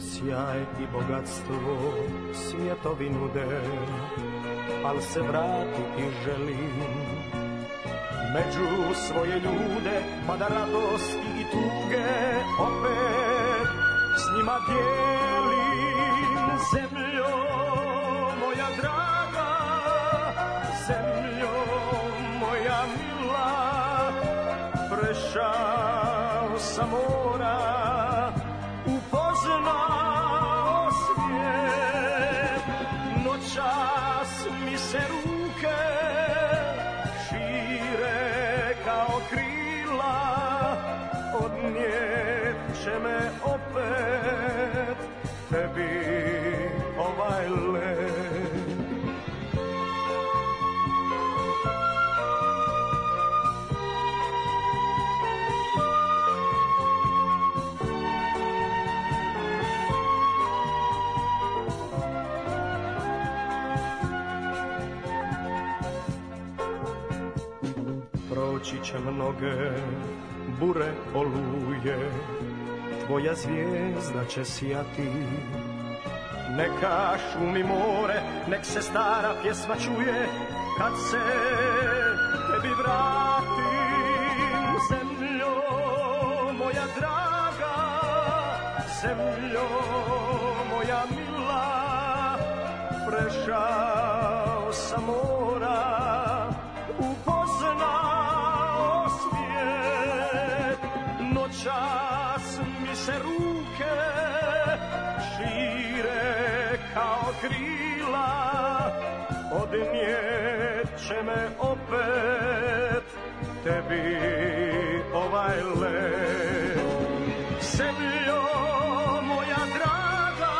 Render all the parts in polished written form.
sjaj i bogatstvo svjetovi nude, al se vratiti želim među svoje ljude, pa da radosti i tuge opet s njima dijelim. Zemljo moja draga, zemljo moja mila, prešao sam mora, upoznao svijet, noćas mi se ruke šire kao krila, odnijet će me opet tebi ovaj let. Proći će mnoge bure oluje, tvoja zvijezda će sijati. Neka šumi more, nek se stara pjesma čuje, kad se tebi vratim. Zemljo moja draga, zemljo moja mila, prešao sam mora, upoznao svijet, noćas mi se ruke šire kao krila, odnijet će me opet tebi ovaj let. Zemljo moja draga,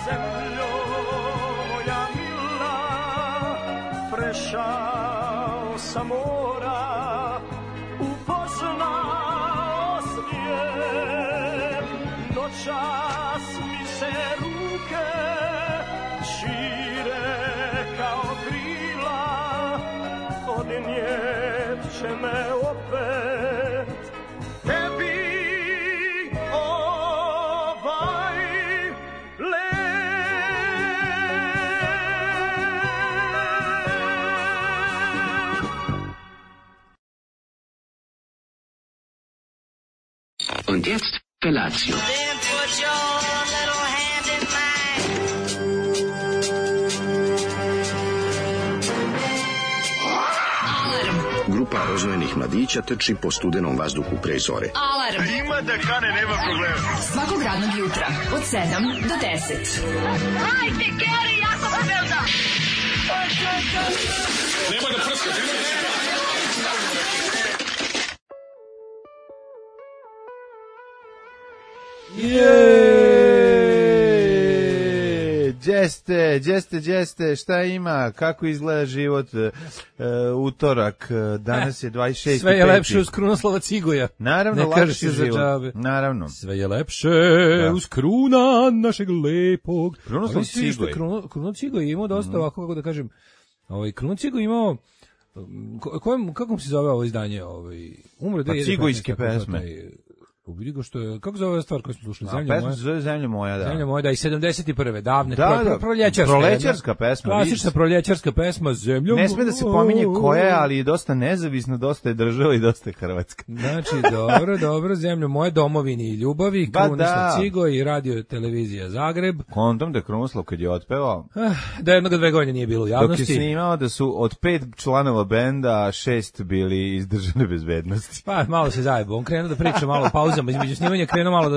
zemljo moja mila, prešao sam mora, upoznao svijet, noćas mi se ruke šire kao krila, odnijet će me opet tebi ovaj let. Und jetzt Felatio. Then put your little hand in mine. Grupa rozvojenih mladića trči po studenom vazduhu pre zore. Alarm. Ima da kane, nema problema. Svakog radnog jutra od 7 do 10. Hajde, Geri, jako se velda. Nema da prska, nema da prska. Đeste, šta ima, kako izgleda život, utorak, danas je 26. Sve je lepše uz Krunoslava Cigoja. Naravno, ne kaže lakši se za život. džabe. Naravno. Sve je lepše uz Kruna našeg lepog. Krunoslav Cigoj. Kruno Cigoj je imao dosta ovako, kako da kažem, Kruno Cigoj imao, kako mu se zove ovo izdanje? Umre Pa cigojske pesme. Vidi ga što je, kako zove ova stvar koju smo slušali? Zemlja moja. Pesma se zove Zemlja moja, da. Zemlja moja, da, i 71. davne, proljećarska pesma. Klasična proljećarska pesma, Zemlja moja. Ne sme da se pominje koja je, ali je dosta nezavisna, dosta je država i dosta je Hrvatska. Znači, dobro, Zemlja moja, domovini i ljubavi, Krunoslav Cigoj i radio televizija Zagreb. Kontom da Krunoslav kad je otpevao, da jednog 2 godine nije bilo u javnosti. dok je snimao da su od 5 članova benda 6 bili iz državne bezbednosti. Pa malo se zajebo, on krenuo da priča malo o pauzama između snimanja, krenuo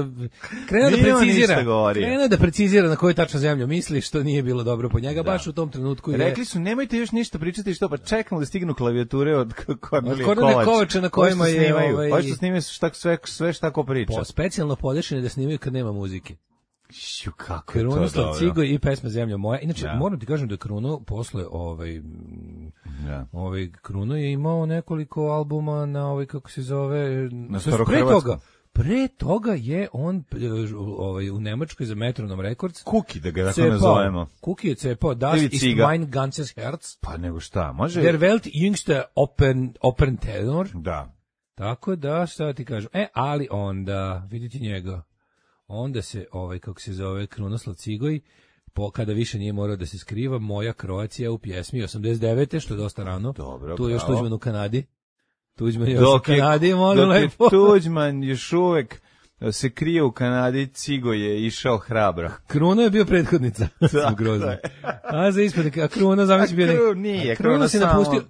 da precizira na koju tačno zemlju misli, što nije bilo dobro po njega, baš u tom trenutku. Rekli su, nemojte još ništa pričati, što pa čekamo da stignu klavijature od Kornelije Kovača na kojima je ovo što snimaju sve šta ko priča. Specijalno podešene da snimaju kad nema muzike. Kako je to Krunoslav Cigoj i pesma Zemlja moja. Inače, moram ti kažem da Kruno posle Kruno je imao nekoliko albuma na kako se zove, na starohrvatskom. Pre toga je on u Nemačkoj za Metronom Records. Kuki, da ga tako nazovemo. Kuki je cepao Das ist mein ganzes Herz. Pa nego šta, može... Der Welt jüngste Opern Tenor. Da. Tako da, šta ti kažem? Ali onda, vidite njega. onda se, kako se zove, Krunoslav Cigoj, kada više nije morao da se skriva, Moja Kroacija u pjesmi 89. što je dosta rano. Dobro, tu je još bravo. Tuđman u Kanadi. Tuđman je još u Kanadi, molim lepo. Tuđman još uvek se krije u Kanadi, Cigo je išao hrabro. Kruno je bio prethodnica. Grozno. A za ispadnik, a Kruno zamisli bio... Nije, Kruno se samo... napustio,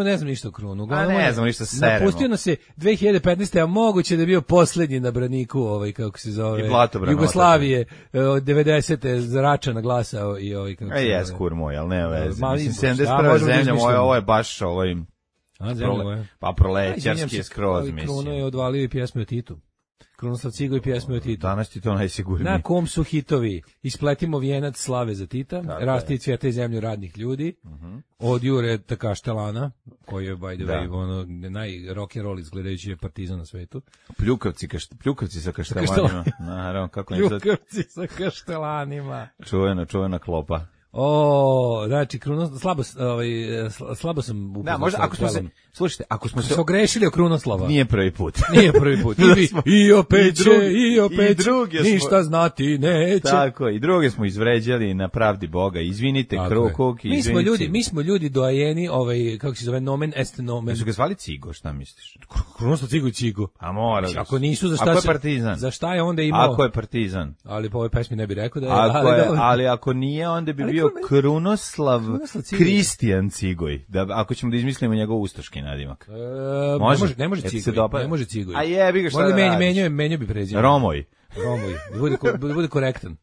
ne znam ništa o Krunu. A ne znam ništa seremo. Napustio nas se 2015. a moguće da je bio poslednji na braniku, kako se zove, Jugoslavije, od 90. za Račana glasao i kako se zove. Jes, kur moj, ali nema veze. Mislim, 71. zemlja moja, ovo je baš pa prolećarski je skroz, mislim. Kruno je odvalio i pjesme o Titu. Krunoslav Cigoj i pjesme o Titu. Danas ti to najsigurnije. Na kom su hitovi? Ispletimo vijenac slave za Tita, Rasti cvjeta i zemlju radnih ljudi, od Jure Kaštelana, koji je, by the way, naj-rock'n'roll izgledajući je Partizan na svetu. Pljukavci sa kaštelanima. Naravno, kako ne sad... Pljukavci sa kaštelanima. Čuvena klopa. Znači, slabo sam upoznao. Da, možda, ako smo se ogrešili o Krunoslava. Nije prvi put. I opet ništa znati neće. Tako, i druge smo izvređali na pravdi Boga. Izvinite, Krukuk, izvinite. Mi smo ljudi doajeni, kako se zove, nomen est nomen. Su ga zvali Cigo, šta misliš? Krunoslav Cigo i Cigo. A mora. Ako nisu, ako je Partizan. Za šta je onda imao? Ako je Partizan. Ali po ovoj pesmi ne bi rekao da je. Ali ako nije, onda bi bio Krunoslav Kristijan Cigoj. Ako ćemo da izmislimo njegov ustaški nadimak. Ne može Cigoj. Ne može Cigoj. A jebi ga, šta da radiš? Menio bi prezime. Romoj. Da bude korektan.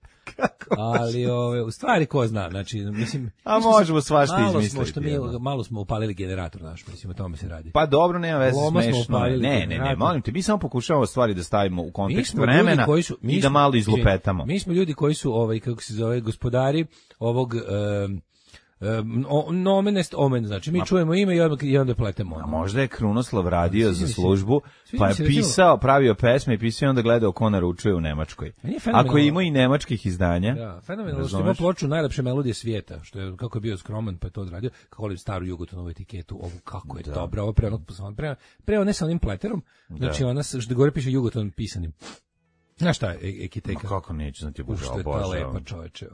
Ali u stvari ko zna, znači mislim, a možemo svašta izmisliti. Malo smo upalili generator naš, mislim, o tome se radi. Pa dobro, nema veze, smešno. Ne, molim te, mi samo pokušavamo stvari da stavimo u kontekst vremena i da malo izlupetamo. Mi smo ljudi koji su kako se zove, gospodari ovog nomen est omen, znači mi čujemo ime i onda pletemo. A možda je Krunoslav radio za službu, pa je pravio pesme i pisao i onda gledao ko naručuje u Nemačkoj. Ako ima i nemačkih izdanja. Da, fenomenalno što ima ploču najlepše melodije svijeta, što je, kako je bio skroman, pa je to odradio, kako volim staru Jugotonovu etiketu, ovu kako je dobra, ovo preo ne sa onim pleterom, znači ona što gore piše Jugoton pisanim. Znaš šta je ekiteka? Kako neću, znači Što je ta lepa, čoveče.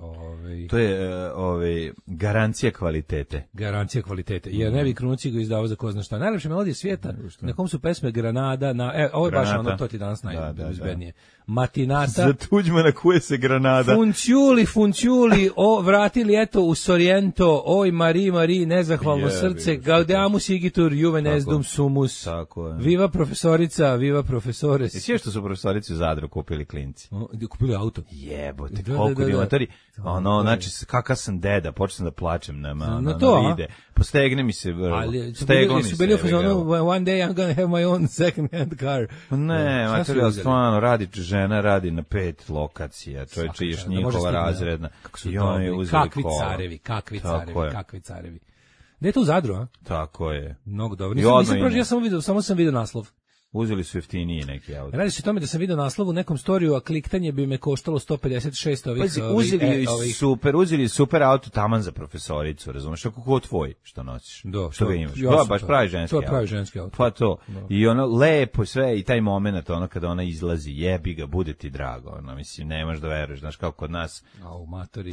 To je garancija kvalitete. Garancija kvalitete. Jer ne bi Krunoci ga izdavao za ko zna šta. Najlepše melodije svijeta, na kom su pesme Granada, ovo je baš ono, to ti danas najbezbednije. Matinata. Za Tuđmana kuje se Granada. Funciuli, vratili eto u Sorrento, oj Mari, nezahvalno srce, gaudeamus igitur, juve nesdum sumus. Tako je. Viva profesorica, viva profesores. Sve što su profesorici u Zadru kupili klinci. Kupili auto. Jebote, koliko divatori. Znači, kakav sam deda, počeo sam da plačem na vide. Postegne mi se, steglo mi se. Su bili u fazonu, one day I'm gonna have my own second hand car. Ne, materijal stvarno radi žena, radi na 5 lokacija, čovječe, još njihova razredna. I on je uzeli kola. Kakvi carevi. Gde je to u Zadru, a? Tako je. Mnogo dobro. Samo sam vidio naslov. Uzeli su jeftiniji neki auto. Radi se o tome da sam vidio naslov u nekom storiju, a kliktanje bi me koštalo 156 ovih... Uzeli super auto taman za profesoricu, razumeš? Kako tvoj što nosiš? Što ga imaš? To je baš pravi ženski auto. To je pravi ženski auto. Pa to. I ono lepo sve i taj moment, ono kada ona izlazi, jebi ga, bude ti drago. Ono, mislim, nemaš da veruješ, znaš, kao kod nas.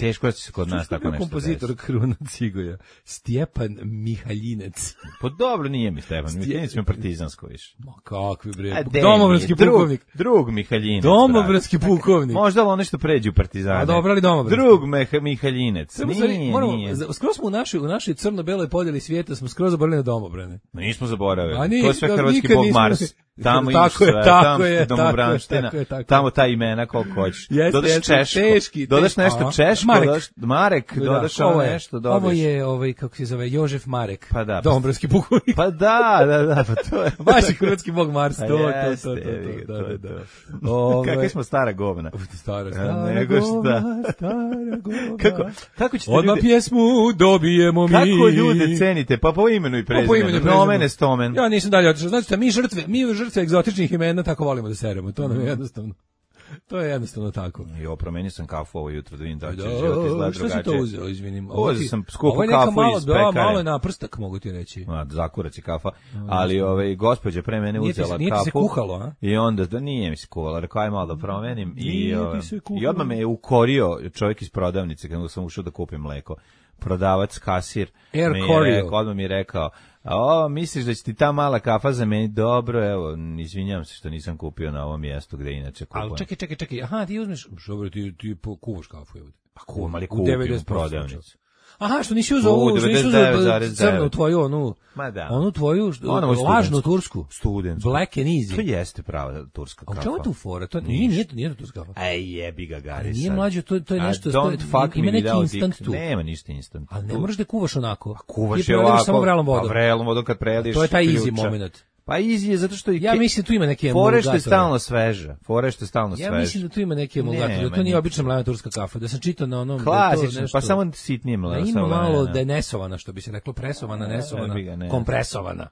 Teško da će se kod nas tako nešto desiti. Kompozitor Kruna Cigoja? Stjepan Mihaljinec. Pa dobro, nije mi Stjepan Mihaljinec, mi je partizansko više. Kakvi bre, domobranski pukovnik. Drug Mihaljinec. Domobranski pukovnik. Možda ono što pređe u partizane. A dobro li domobranski? Drug Mihaljinec. Nije. Skoro smo u našoj crno-beloj podjeli svijeta smo skoro zaboravili na domobrane. Nismo zaboravili. To je sve hrvatski bog Mars. Tamo imaš sve, tamo domobranština, tamo ta imena koliko hoćeš. Dodaš češko, dodaš nešto češko, Marek, dodaš ovo nešto, dodaš. Ovo je, kako se zove, Jožef Marek, pa da, domobranski pukovnik. Pa da, pa to je. Baš je hrvatski bog Mars, to. Kakvi smo stara govna. Stara govna. Kako ćete odmah pjesmu dobijemo mi. Kako ljude cenite, pa po imenu i prezimenu. Nomen est omen. Ja nisam dalje otišao. Znači, mi žrtve egzotičnih imena tako volimo da seremo. To nam je jednostavno. To je jednostavno tako. Jo, promenio sam kafu ovo jutro da vidim da će život izgleda drugačije. Što si to uzeo, izvinim? Uzeo sam skupu kafu iz pekare. Malo je naprstak, mogu ti reći. Zakurac je kafa, ali gospođa pre mene uzela kafu. Nije ti se kuhalo, a? I onda, nije mi se kuhalo, rekao aj malo da promenim. I odmah me je ukorio čovjek iz prodavnice kada sam ušao da kupim mleko. Prodavac, kasir, odmah mi je rekao, misliš da će ti ta mala kafa zameniti? Dobro, evo, izvinjam se što nisam kupio na ovom mjestu gde inače kupujem. Ali čekaj, aha, ti uzmeš, dobro, ti kuvaš kafu, evo. Pa kuvam, ali kupim u prodavnicu. Aha, što nisi uzeo ovu, crnu tvoju, onu tvoju, lažnu tursku. Student. Black and easy. To jeste prava turska kafa. A u čemu je tu fora? To nije to turska kafa. Ej, jebi ga, Gari. Nije mlađe, to je nešto, ima neki instant tu. Nema ništa instant. Ali ne moraš da kuvaš onako. Kuvaš je ovako, samo vrelom vodom. Pa vrelom vodom kad preliješ. To je taj easy moment. Pa easy je zato što ja mislim tu ima neke emulgatore. Fore što je stalno sveža. Ja mislim da tu ima neke emulgatore, da to nije obična mlana turska kafa, da sam čitao na onom klasično, pa samo sitnije mlana. Da ima malo denesovana, što bi se reklo, presovana, nesovana, kompresovana.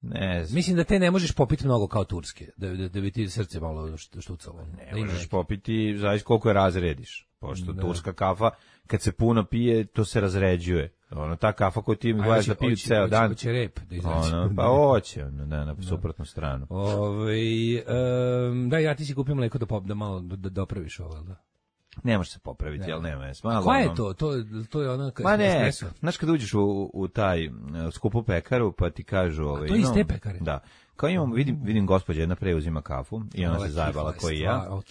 Ne. Mislim da te ne možeš popiti mnogo kao turske, da bi ti srce malo štucalo. Ne možeš popiti, zavisi koliko je razrediš. Pošto turska kafa, kad se puno pije, to se razređuje. Ta kafa koju ti mi gledaš da piju ceo dan. Hoće rep da izaći. Pa hoće, na suprotnu stranu. Da, ja ti si kupio mleko da malo dopraviš ovo, da? Ne može se popraviti, jel nema. Koja je to? To je ono... Ma ne, znaš kad uđeš u taj skupu pekaru, pa ti kažu... A to je iz te pekare? Da. Kao vidim gospođa jedna preuzima kafu i ona se zajebala koji ja.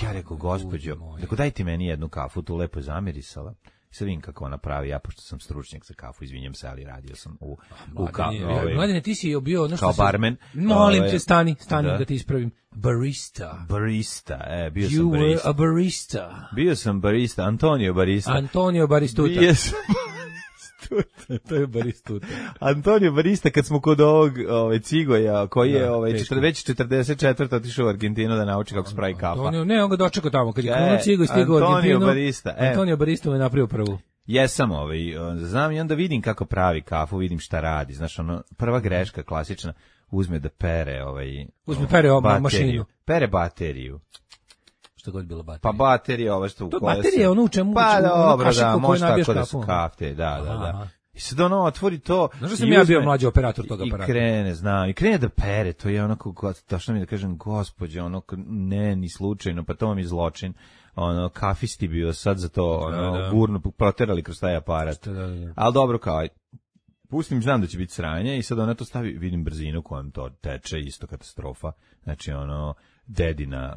Ja rekao, gospođo, daj ti meni jednu kafu, tu lepo zamirisala. I sad vidim kako ona pravi, ja pošto sam stručnjak za kafu, izvinjam se, ali radio sam u Mladine, ti si bio ono što kao barmen. Molim te, stani da te ispravim. Barista, bio sam barista. You were a barista. Bio sam barista, Antonio Baristuta. Bio sam to je Baristuta. Antonio Barista, kad smo kod ovog Cigoja, koji je već 44. otišao u Argentinu da nauči kako se pravi kafa. On ga dočekao tamo, kad je krenuo Cigoj, stigao u Argentinu. Antonio Barista me napravio prvu. Jesam znam i onda vidim kako pravi kafu, vidim šta radi. Znaš, prva greška klasična, uzme da pere mašinu. Pere bateriju. Što god bilo baterija. Pa baterija ova što u kojoj se... To baterija je ono u čemu... Pa dobro, da, može tako da su kafte, da. I sad otvori to... Znaš da sam ja bio mlađi operator tog aparata? I krene da pere, to je onako, tačno mi da kažem, gospođe, ne, ni slučajno, pa to vam je zločin. Kafisti bio sad za to, gurno, proterali kroz taj aparat. Ali dobro, kao, pustim, znam da će biti sranje i sad ona to stavi, vidim brzinu kojom to teče, isto katastrofa. Znači, dedina,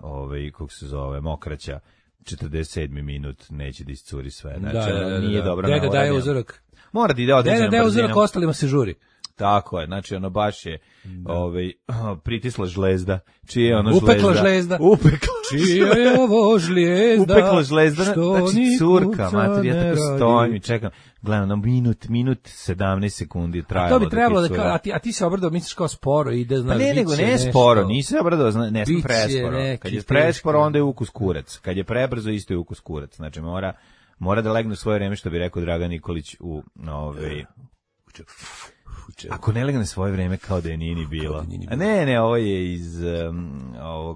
kako se zove, mokraća, 47. minut, neće da iscuri sve. Znači, nije dobro. Deda daje uzorak. Mora da ide određenom brzinom. Deda daje uzorak, ostalima se žuri. Tako je, znači baš je pritisla žlezda. Čije je žlezda? Upekla žlezda. Čije je ovo žlezda? Upekla žlezda, znači curka, materi, ja tako stojim i čekam. Gledam, na minut 17 sekundi trajalo. To bi trebalo da, a ti se obradao, misliš kao sporo ide, znaš, pa ne sporo, nisi obradao, ne sam presporo. Kad je presporo, onda je ukus kurac. Kad je prebrzo, isto je ukus kurac. Znači, mora da legne u svoje vreme, što bi rekao Dragan Nikolić ako ne legne svoje vreme kao da je nije ni bilo. Ne, ovo je iz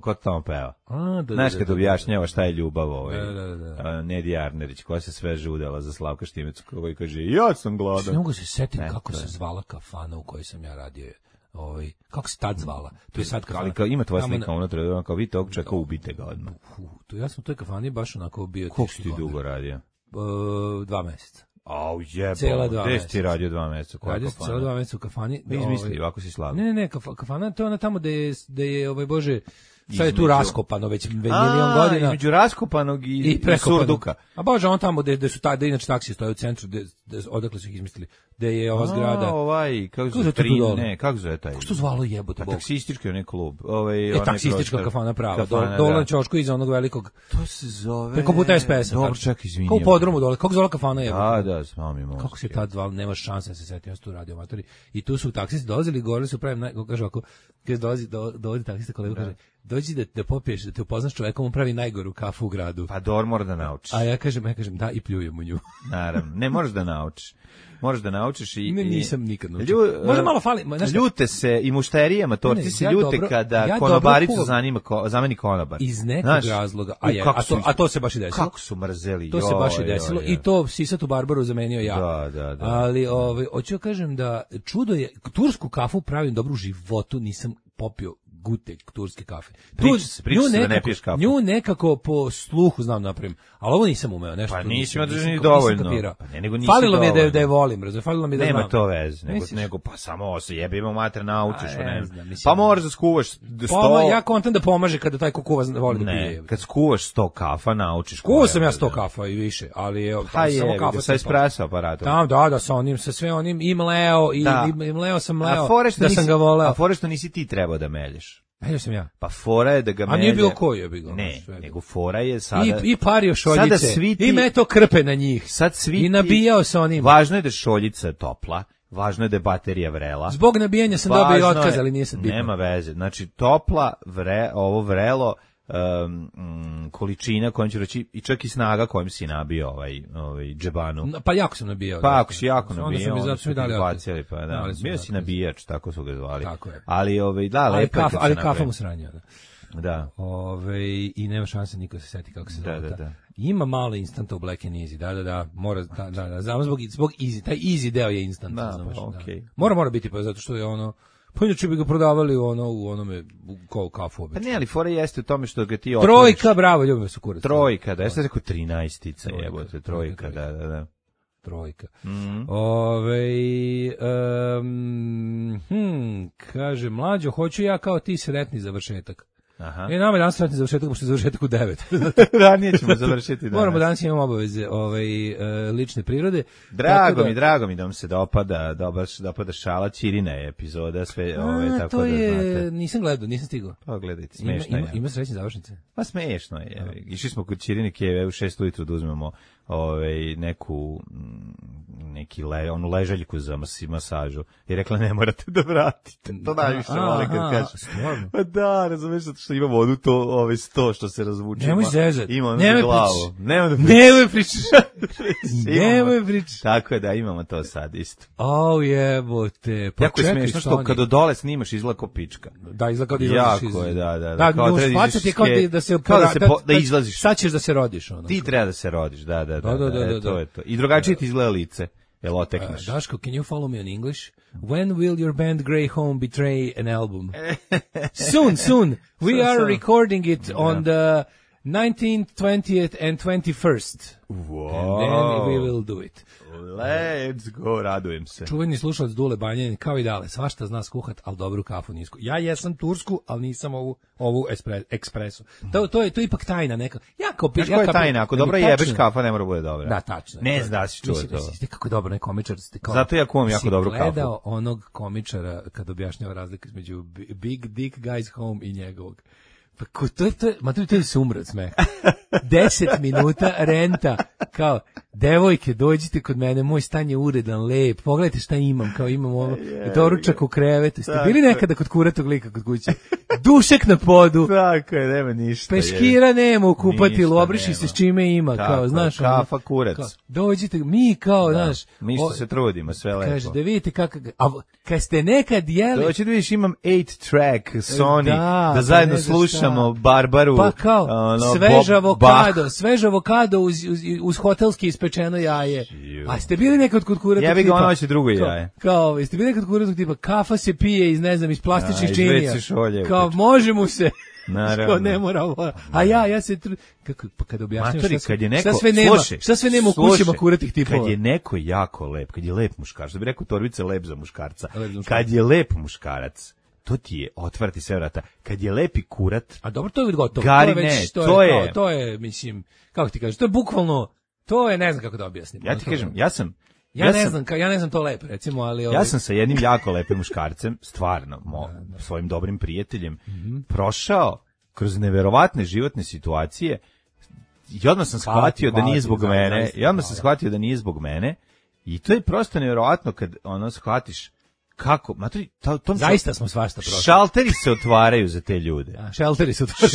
ko tamo peva. Znaš kad objašnjava šta je ljubav Nedi Arnerić, koja se sve žudela za Slavka Štimecu, koji kaže, ja sam gladan. Ne mogu se setim kako se zvala kafana u kojoj sam ja radio. Kako se tad zvala? To je sad kafana. Ali ima tvoja slika unutra, kao vidite ovog čeka, ubite ga odmah. Ja sam u toj kafani baš onako bio. Koliko si ti dugo radio? 2 meseca. Au jebo, gde si ti radio 2 meseca? Radio sam cijela 2 meseca u kafani. Izmisli, ovako si slavio. Ne, kafana, to je ona tamo da je Bože, sad je tu raskopano već milion godina. Između raskopanog i surduka. A Bože, on tamo gde su da inače taksi stoje u centru, odakle su ih izmislili, gde je ova zgrada. Kako zove taj? Kako što zvalo jebote Bog? Taksistički onaj klub. Taksistička kafana prava. Dole na ćošku iza onog velikog. To se zove... Preko puta SPS-a. Dobro, čak, izvinjam. Kao u podrumu dole. Kako zvala kafana jebote? Da, znam mi možda. Kako se tad zvalo, nema šanse da se setim, ja sam tu radio amatori. I tu su taksisti dolazili, govorili su pravim, kaže ovako, kad dolazi taksista kolega, kaže, dođi da popiješ, da te upoznaš čovekom, on pravi najgoru kafu u gradu. Pa mora da naučiš. A ja kažem, da, i pljujem u nju. Naravno, ne možeš da naučiš. naučiš. Moraš da naučiš i... Nisam nikad naučio. Možda malo fali... Ljute se i mušterije, matorci se ljute kada konobaricu zameni konobar. Iz nekog razloga. A to se baš i desilo. Kako su mrzeli. To se baš i desilo. I to Sisatu Barbaru zamenio ja. Da. Ali, hoću da kažem da čudo je, tursku kafu pravim dobro u životu, nisam popio gutek turske kafe. Priča se da ne piješ kafu. Nju nekako po sluhu znam napravim, ali ovo nisam umeo nešto. Pa nisam održani dovoljno. Pa falilo mi je da je volim, falilo mi je da znam. Nema to veze, nego pa samo se jebimo mater naučiš, ne znam. Pa moraš da skuvaš 100. Ja kontam da pomaže kada taj ko kuva voli da pije. Kad skuvaš 100 kafa naučiš. Kuvao sam ja 100 kafa i više, ali samo kafa sa espresso aparatom. Da, sa onim, sa sve onim i mleo sam da sam ga voleo. A fore što nisi ti trebao da melješ. Melio sam ja. Pa fora je da ga melje. A nije bilo koji je bilo. Ne, nego fora je sada... I pario šoljice. I meto krpe na njih. Sad svi i nabijao sa onim. Važno je da je šoljica topla. Važno je da je baterija vrela. Zbog nabijanja sam dobio otkaz, ali nije sad bitno. Nema veze. Znači, topla, ovo vrelo, količina kojom ću reći i čak i snaga kojom si nabio ovaj džebanu. Pa jako sam nabijao. Pa ako si jako nabijao, onda su mi dali bacili, pa da. Bio si nabijač, tako su ga zvali. Tako je. Ali da, lepo je. Ali kafa mu sranja, da. Da. I nema šanse niko se seti kako se zove. Da. Ima malo instanta u Black and Easy. Da. Mora znamo zbog easy, taj easy deo je instant, znaš. Okay. Mora biti pa zato što je ono. Pa inače bi ga prodavali u onome kao kafu obično. Pa ne, ali fora jeste u tome što ga ti otvoriš. Trojka, bravo, ljubim se kurac. Trojka, da, ja sam rekao 13-ica, jebote, trojka, da. Trojka. Kaže, mlađo, hoću ja kao ti sretni završetak. Aha. Nama je danas sretni završetak, pošto je završetak u 9. Ranije ćemo završiti danas. Moramo danas imamo obaveze lične prirode. Drago mi da vam se dopada šala, Ćirina je epizoda, sve tako to da je, znate. Nisam gledao, nisam stigao. Pa gledajte, smešno je. Ima srećne završnice? Pa smešno je. Išli smo kod Ćirine Kijeve u 6 ujutru da uzmemo onu ležaljku za masažu i rekla ne morate da vratite. To najviše vole kad kaže. Pa da, razumeš što ima vodu to 100 što se razvuče. Nemoj zezati. Ima ono za glavu. Nemoj pričati. Nemoj pričati. Tako je da imamo to sad isto. Jebote. Pa jako je smiješno što kada dole snimaš izgleda ko pička. Da, izgleda kao da izlaziš. Jako je, da. Da, da izlaziš. Sad ćeš da se rodiš. Ti treba da se rodiš, da. To je to. I drugačije ti izgleda lice. Jel otekneš? Daško, can you follow me on English? When will your band Grey Home betray an album? Soon. We are recording it on the 19th, 20th and 21st. Wow. And then we will do it. Let's go, radujem se. Čuveni slušalac Dule Banjanin, kao i Dale, svašta zna skuhat, ali dobru kafu nisku. Ja jesam tursku, ali nisam ovu ekspresu. To je ipak tajna neka. Znaš koja je tajna? Ako dobro jebeš, kafa ne mora bude dobra. Da, tačno. Ne zna si čuo to. Kako je dobro, komičar. Zato ja kuvam jako dobru kafu. Si gledao onog komičara kad objašnjava razliku između Big Dick Guys Home i njegovog. Pa to je sumrat smeh. 10 minuta renta, kao, devojke, dođite kod mene, moj stan je uredan, lep, pogledajte šta imam, kao imam ovo, doručak u krevetu. Ste bili nekada kod kuratog lika kod kuće? Dušek na podu. Tako je, nema ništa. Peškira nema u kupatilu, obriši se s čime ima, kao, znaš. Kafa, kurac. Dođite, mi kao, znaš. Mi što se trudimo, sve lepo. Kaže, da vidite kako, a kad ste nekad jeli. Doći da vidiš, imam 8-track Sony, da zajedno slušamo Barbaru. Pa kao, svež avokado uz hotelski ispečeno jaje. A ste bili nekad kod kuratog tipa? Ja bih ga ono će drugo jaje. Kao, jeste bili nekad kod kuratog tipa? Kafa se pije iz plastičnih činija. Kao, može mu se. Naravno. Ne mora ovo. A ja se pa kad objašnjaš šta sve nema u kućima kuratih tipova. Kad je neko jako lep, kad je lep muškarac, da bi rekao Torbice lep za muškarca. Kad je lep muškarac, to ti je otvrti sve vrata. Kad je lepi kurat, a dobro, to je gotovo. To je, mislim, kako ti kažeš, to je bukvalno, to je, ne znam kako da objasnim. Ja ti kažem, ja ne znam to lepo, recimo, ali ja sam sa jednim jako lepim muškarcem, stvarno, svojim dobrim prijateljem, prošao kroz neverovatne životne situacije i odmah sam shvatio da nije zbog mene. I to je prosto neverovatno kad shvatiš Kako? Zaista smo svašta prošli. Šalteri se otvaraju za te ljude.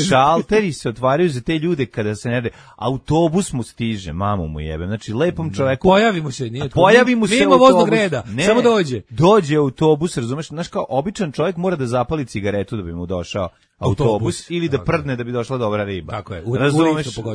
Šalteri se otvaraju za te ljude kada se ne... Autobus mu stiže, mamu mu jebem. Znači, lepom čoveku... Pojavi mu se, nije... Pojavi mu se voznog reda, samo dođe. Dođe autobus, razumeš? Znaš, kao običan čovjek mora da zapali cigaretu da bi mu došao autobus ili da prdne da bi došla dobra riba. Tako je,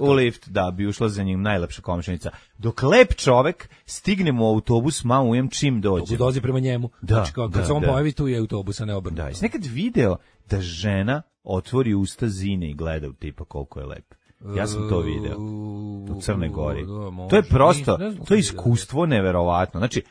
u lift, da bi ušla za njim najlepša komšinica. Dok lep čovek stigne mu autobus, mamu jem čim dođe. Dođe prema njemu. Znači, kad se on pojavi, tu je autobus, a ne obrnuto. Da, jesi nekad video da žena otvori usta zine i gleda u tipa koliko je lep? Ja sam to video u Crnoj Gori. To je prosto, to je iskustvo neverovatno. Znači,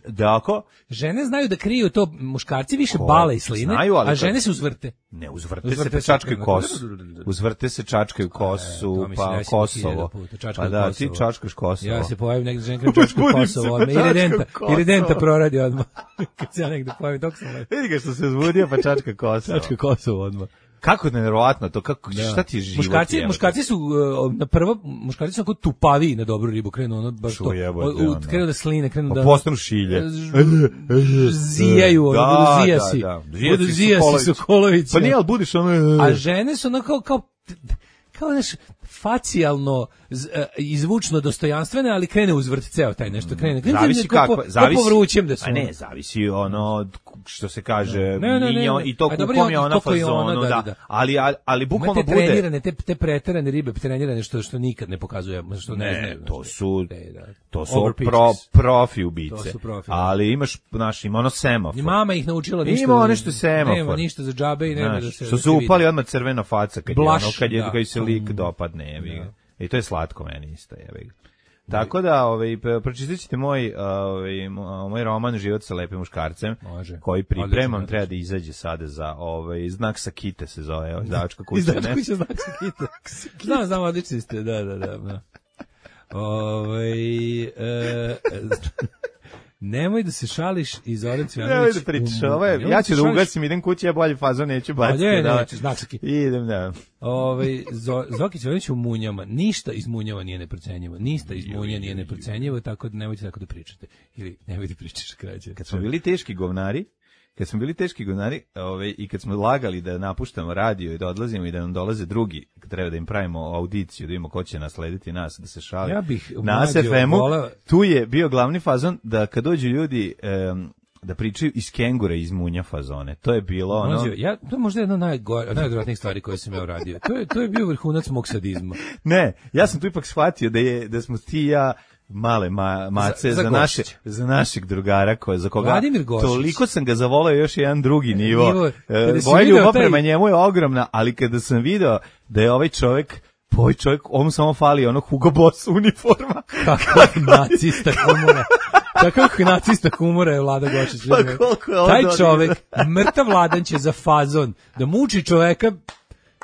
da ako... Žene znaju da kriju to, muškarci više bale i sline, a žene se uzvrte. Ne, uzvrte se, čačkaju kosu. Uzvrte se, čačkaju kosu, pa Kosovo. Pa da, ti čačkaš Kosovo. Ja se pojavim negdje, žene kriju čačkaju Kosovo, ili denta proradi odmah. Kad se ja negdje pojavim, dok sam lepo. Vidi ga što se uzbudio, pa čačka Kosovo. Čačka Kosovo odmah. Kako je nevjerovatno to, kako, šta ti je život? Muškarci su muškarci su onako tupaviji na dobru ribu, krenu ono baš to, krenu da sline, krenu da... Postanu šilje. Zijaju, budu zijasi Sokolovića. Pa nije, ali budiš ono... A žene su onako kao nešto facijalno izvučno dostojanstvene, ali krene uzvrt ceo taj nešto krene. Zavisi kako, zavisi. Povrućem da su. A ne, zavisi ono što se kaže, i to kom je ona fazonu, da. Ali bukvalno bude. Trenirane, te preterane ribe, trenirane što nikad ne pokazuje, što ne znaju. To su profi ubice. Ali imaš, ima ono semafor. Mama ih naučila ništa. Ima nešto semafor. Nema ništa za džabe i nema da se. Što su upali odmah crvena faca kad se lik dopadne, jebi ga. I to je slatko meni isto, jebi ga. Tako da, pročitat ćete moj roman Život sa lepim muškarcem, koji pripremam, treba da izađe sada za Znak sa kite se zove, izdavačka kuća. Izdavačka kuća Znak sa kite. Znam, odlični ste, da. Nemoj da se šališ i Zoran Cvjanović. Nemoj da pričaš, ja ću da ugasim, idem kući, ja bolji fazon neću baciti. Idem, da. Zoki Cvjanović u Munjama, ništa iz Munjama nije neprocenjivo, ništa iz Munja nije neprocenjivo, tako da nemojte tako da pričate. Ili nemoj da pričaš krađe. Kad smo bili teški govnari, i kad smo lagali da napuštamo radio i da odlazimo i da nam dolaze drugi, kad treba da im pravimo audiciju, da vidimo ko će naslediti nas, da se šali. Ja bih na SFM-u, tu je bio glavni fazon da kad dođu ljudi da pričaju iz Kengura iz Munja fazone. To je bilo ono... To je možda jedna najodvratnijih stvari koje sam ja uradio. To je bio vrhunac mog sadizma. Ne, ja sam tu ipak shvatio da smo ti i ja male mace za našeg drugara za koga toliko sam ga zavoleo još jedan drugi nivo. Moja ljubav prema njemu je ogromna, ali kada sam video da je ovaj čovjek, on samo fali onog Hugo Boss uniforma. Kakav nacista humora je Vlada Gošić. Taj čovjek, mrtav Vladan će za fazon da muči čoveka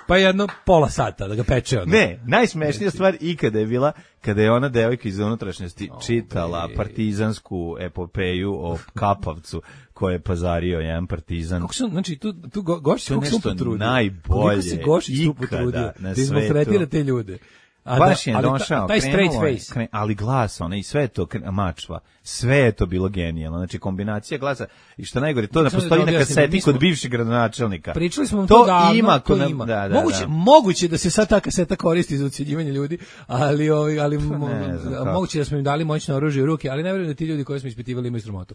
pa jedno pola sata da ga peče onda. Ne, najsmešnija stvar ikada je bila kada je ona devojka iz unutrašnjosti čitala partizansku epopeju o Kapavcu koje je pazario jedan partizan. Kako su, znači, tu Gošić kako se potrudio. Najbolje se Gošić tu potrudio da izmaltretira te ljude. Baš je došao, taj straight face. Ali glas, i sve je to mačva, sve je to bilo genijalno, znači kombinacija glasa, i što najgore, to da postoji na kaseti kod bivšeg gradonačelnika. Pričali smo to davno, to ima. Da. Moguće da se sad ta kaseta koristi za ucjenjivanje ljudi, ali moguće da smo im dali moćno oružje u ruke, ali ne vjerujem da ti ljudi koji smo ispitivali imaju sramotu.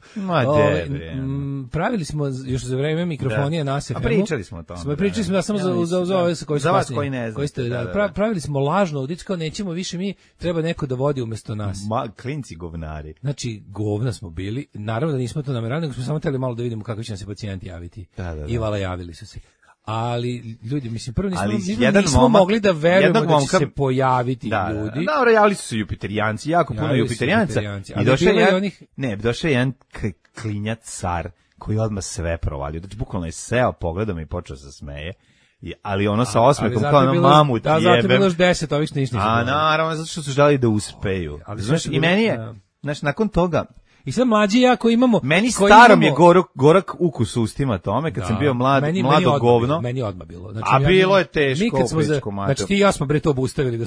Pravili smo još za vreme mikrofonije na SFM-u. Pričali smo o tome. Pričali smo samo za ove koji su za vas koji ne znate. Pravili smo lažno kao nećemo više mi, treba neko da vodi umjesto nas. Klinci govnari. Znači, govna smo bili, naravno da nismo to namerali, nego smo samo htjeli malo da vidimo kako će nam se pacijenti javiti. Da. I vala javili su se. Ali, ljudi, mislim, prvo nismo mogli da verujemo da će se pojaviti ljudi. Da, javili su se jupiterijanci, jako puno jupiterijanca. I došao je jedan klinjac car koji odmah sve provalio. Znači, bukvalno je seo, pogledao me i počeo se smeje. Ali ono sa osmehom kao na mamut jebem. Da, zato je bilo još 10 ovih što ništa. Naravno, zato što su želi da uspeju. Znaš, i meni je, nakon toga, I sad mlađi ja koji imamo... Meni starom je gorak ukus u ustima tome, kad sam bio mlado govno. Meni odmah bilo. Znači, a bilo je teško. Znači ti i ja smo bre to obustavili, da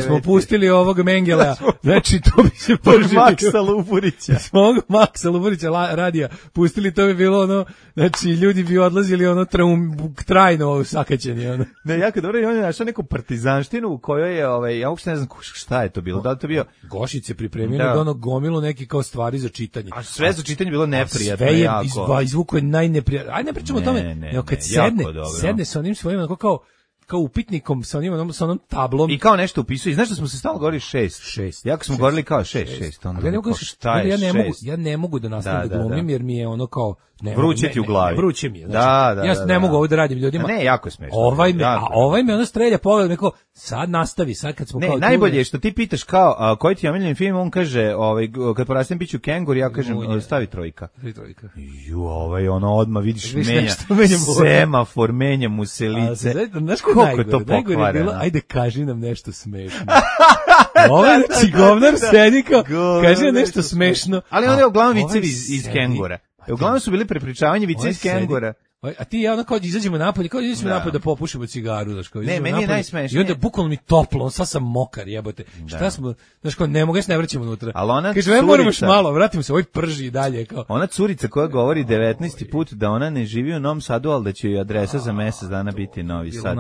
smo pustili ovog Mengela. Znači to bi se poživio. Maksa Luburića. Smo Maksa Luburića radija pustili, to bi bilo ono, znači ljudi bi odlazili ono trajno sakaćeni. Ono. Ne, jako dobro, on je našao neku partizanštinu u kojoj je, ja uopšte ne znam šta je to bilo, da li to bio... Gošić se pripremio da ono gomilu neki kao stvari za čitanje. A sve za čitanje bilo neprijatno. Sve je izvuko je najneprijatno. Ajde ne pričamo o tome, kad sedne sa onim svojim, kao upitnikom sa onom tablom. I kao nešto upisuje. Znaš da smo se stalno govorili 6. Jako smo govorili kao 6. Onda ja ne mogu da nastavim da glumim, jer mi je ono kao... Vruće ti u glavi. Vruće mi je. Znači, ja ne mogu ovo da radim ljudima. Ne, jako je smešno. Ovaj me ono strelja pogled, me kao, sad nastavi, sad kad smo kao... Ne, najbolje je što ti pitaš kao, koji ti je omiljeni film, on kaže, kad porastem biću kengur, ja kažem, stavi 3. Ono odmah vidiš semafor, menja mu se lice. Znaš koliko je to pokvareno? Ajde, kaži nam nešto smešno. Ovaj govnar sedi kao, kaži nam nešto smešno. Ali on je uglavnom vicevi iz kengura. Uglavnom su bili prepričavanje vice iz kengura. A ti ja ono kao izađemo napolje, napolje da popušimo cigaru, znaš kao. Ne, meni je najsmešnije. I onda bukvalno mi toplo, sad sam mokar, jebote. Šta smo, znaš kao, ne mogu, ja se ne vraćam unutra. Kaže, moramo još malo, vratimo se, prži i dalje. Kao. Ona curica koja govori 19. put da ona ne živi u Novom Sadu, ali da će joj adresa za mesec dana biti Novi Sad.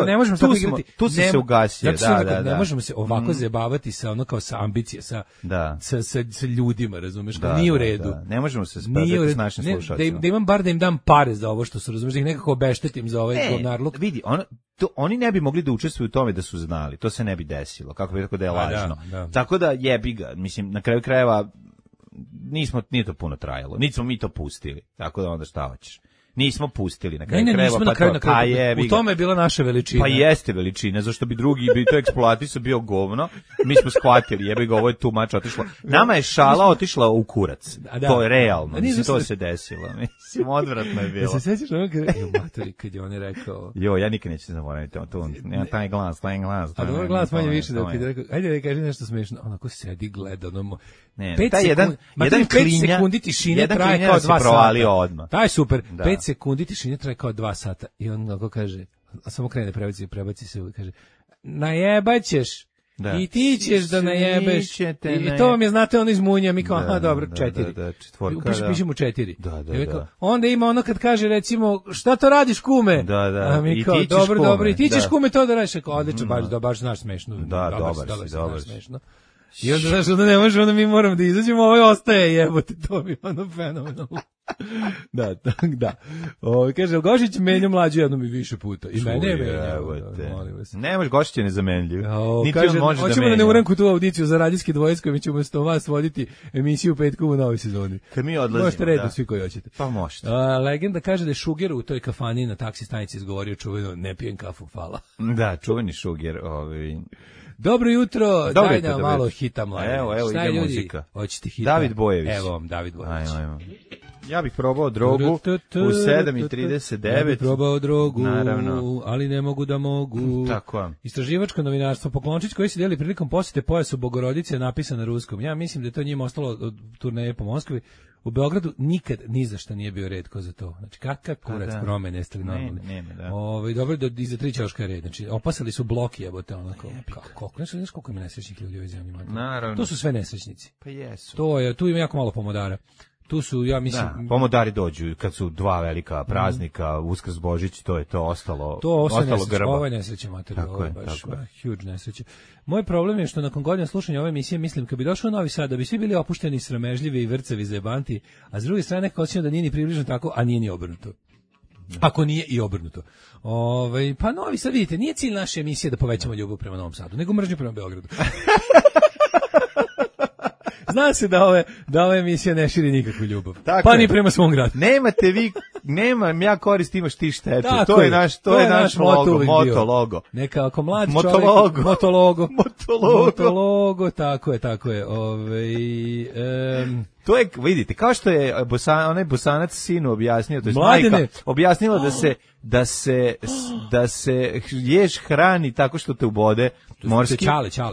Ne možemo tako igrati. Tu se ugasio, da. Ne možemo se ovako zajebavati sa ono kao sa ambicije, sa ljudima, razumeš, kao nije u redu. Ne možemo se spredati s našim slušalcima. Da imam bar da im dam pare za ovo što su, razumeš, da ih nekako obeštetim za ovaj govnarluk. Vidi, oni ne bi mogli da učestvuju u tome da su znali, to se ne bi desilo, kako bi tako da je lažno. Tako da jebi ga, mislim, na kraju krajeva nije to puno trajalo, niti smo mi to pustili, tako da onda šta hoćeš. Nismo pustili na kraju krajeva, u tome je bila naša veličina. Pa jeste veličina, zašto bi drugi bi to eksploatisao bio govno. Mi smo shvatili, jebi ga, ovo je tu mač otišlo. Nama je šala otišla u kurac. To je realno, mislim, to se desilo. Mislim, odvratno je bilo. Se sećaš ono kad je on rekao... Ja nikad neću zaboraviti to. Nema taj glas. A dobro glas manje više da kad je rekao, ajde da kaži nešto smešno. Onako sedi, gleda, ono... Taj jedan 5 sekundi tišine traje kao 2 sata. Taj je super. 5 sekundi tišine traje kao 2 sata. I on kako kaže, a samo krene prebaci se i kaže, najebaćeš. I ti ćeš da najebeš. I to vam je, znate, ono iz Munja. Mi kao, aha, dobro, 4. Piši mu 4. Onda ima ono kad kaže, recimo, šta to radiš, kume? A mi kao, dobro. I ti ćeš, kume, to da radiš. Odlično, baš znaš smešno. Dobar si. I onda, znaš, onda ne može, onda mi moramo da izađemo, ovo ostaje, jebote, to bi ono fenomenalno. Da. Kaže, Gošić menja mlađu jednom i više puta. I mene je menjao. Ne može, Gošić je nezamenljiv. Kaže, hoćemo da ne uranku tu audiciju za radijski dvojac koji ćemo s vas voditi emisiju petkom u novoj sezoni. Kad mi odlazimo, možete redno svi koji hoćete. Pa možete. Legenda kaže da je Šuger u toj kafani na taksi stanici izgovorio čuveno, ne pijem kafu, hvala. Da, čuveni Šuger. Dobro jutro, daj nam malo hita mlađe. Evo ide muzika. Hoćete hita? David Bojević. Evo vam, David Bojević. Ajmo. Ja bih probao drogu u 7:39. Ja bih probao drogu, naravno, ali ne mogu da mogu. Tako. Istraživačko novinarstvo. Poklončić koji se deli prilikom posjete pojasu Bogorodice je napisan na ruskom. Ja mislim da je to njima ostalo od turneje po Moskvi. U Beogradu nikad ni za šta nije bio red ko za to. Znači, kakav kurac promene, jeste li normalni? Dobro, iza 3 ćoška red. Znači, opasali su bloki, jebote, onako. Znaš koliko ima nesrećnih ljudi u ovoj zemlji? Naravno. To su sve nesrećnici. Pa jesu. Tu ima jako malo pomodara. Tu su, ja mislim... Da, pomodari dođu kad su 2 velika praznika, Uskrs, Božić, to je to ostalo grba. Ovo je nesreće materijal, ovo je baš huge nesreće. Moj problem je što nakon godina slušanja ove emisije mislim kad bi došao u Novi Sad da bi svi bili opušteni, sramežljivi i vrcavi zajebanti, a s druge strane nekako osjećam da nije ni približno tako, a nije ni obrnuto. Ako nije i obrnuto. Pa Novi Sad, vidite, nije cilj naše emisije da povećamo ljubav prema Novom Sadu, nego mržnju prema Beogradu. Zna se da ova emisija ne širi nikakvu ljubav. Tako pa ni prema svom gradu. nemam ja korist, imaš ti štetu. To je naš logo. Neka ako mlad čovjek, motologo, tako je. To je, vidite, kao što je onaj Bosanac sinu objasnio, to je majka objasnila da se ješ hrani tako što te ubode morski.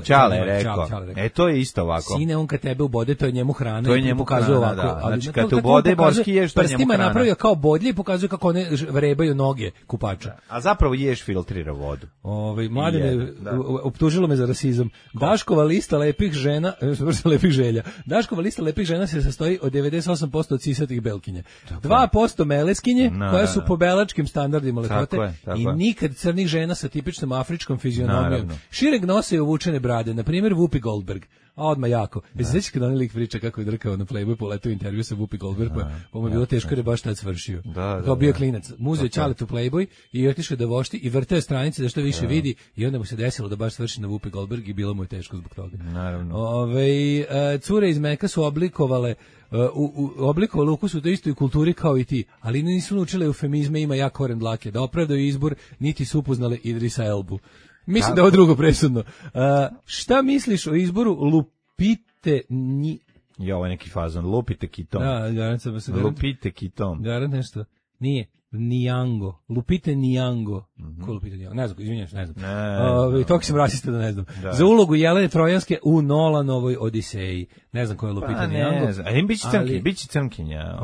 Čale je rekao. To je isto ovako. Sine, on kad tebe ubode, to je njemu hrana. To je njemu pokazuje ovako. Da. Znači, kad te ubode morski ješ, to je njemu hrana. Prstima napravio kao bodlje i pokazuje kako one vrebaju noge kupača. A zapravo ješ filtrira vodu. Mladene, optužilo me za rasizam. Daškova lista lepih žena, Daškova lista lepih žena se sastoji od 98% od sisatih belkinja. 2% meleskinje, koje su po belačkim standardima lepote i nikad crnih žena sa tipičnom afričkom fizionomijom. Šireg nosa i uvučene brade, na primjer Whoopi Goldberg. A odmah jako. Sećaš kad onaj lik priča kako je drkao na Playboy, poletao intervju sa Whoopi Goldberg, pa mu je bilo teško jer je baš tad svršio. Kao bio klinac. Muzeo čalet u Playboy i otišao da vošti i vrteo stranice da što više vidi i onda mu se desilo da baš svrši na Whoopi Goldberg i bilo mu je teško zbog toga. Naravno. Cure iz Meka su oblikovale ukus u toj istoj kulturi kao i ti, ali nisu naučile eufemizme, ima jak koren dlake, da opravdaju izbor, niti su upoznale Idrisa Elbu. Mislim da je ovo drugo presudno. Šta misliš o izboru Lupite ovo je neki fazon. Lupite Kitom. Da, garant sam se. Lupite Kitom. Garant nešto. Nije. Nijango. Lupite Nijango. Ko Lupite Nijango? Ne znam, izvinjam se, ne znam. Toliko sam rasista da ne znam. Da. Za ulogu Jelene Trojanske u Nolanovoj Odiseji. Ne znam ko je Lupite Nijango. Ne znam. Biće crnkinja.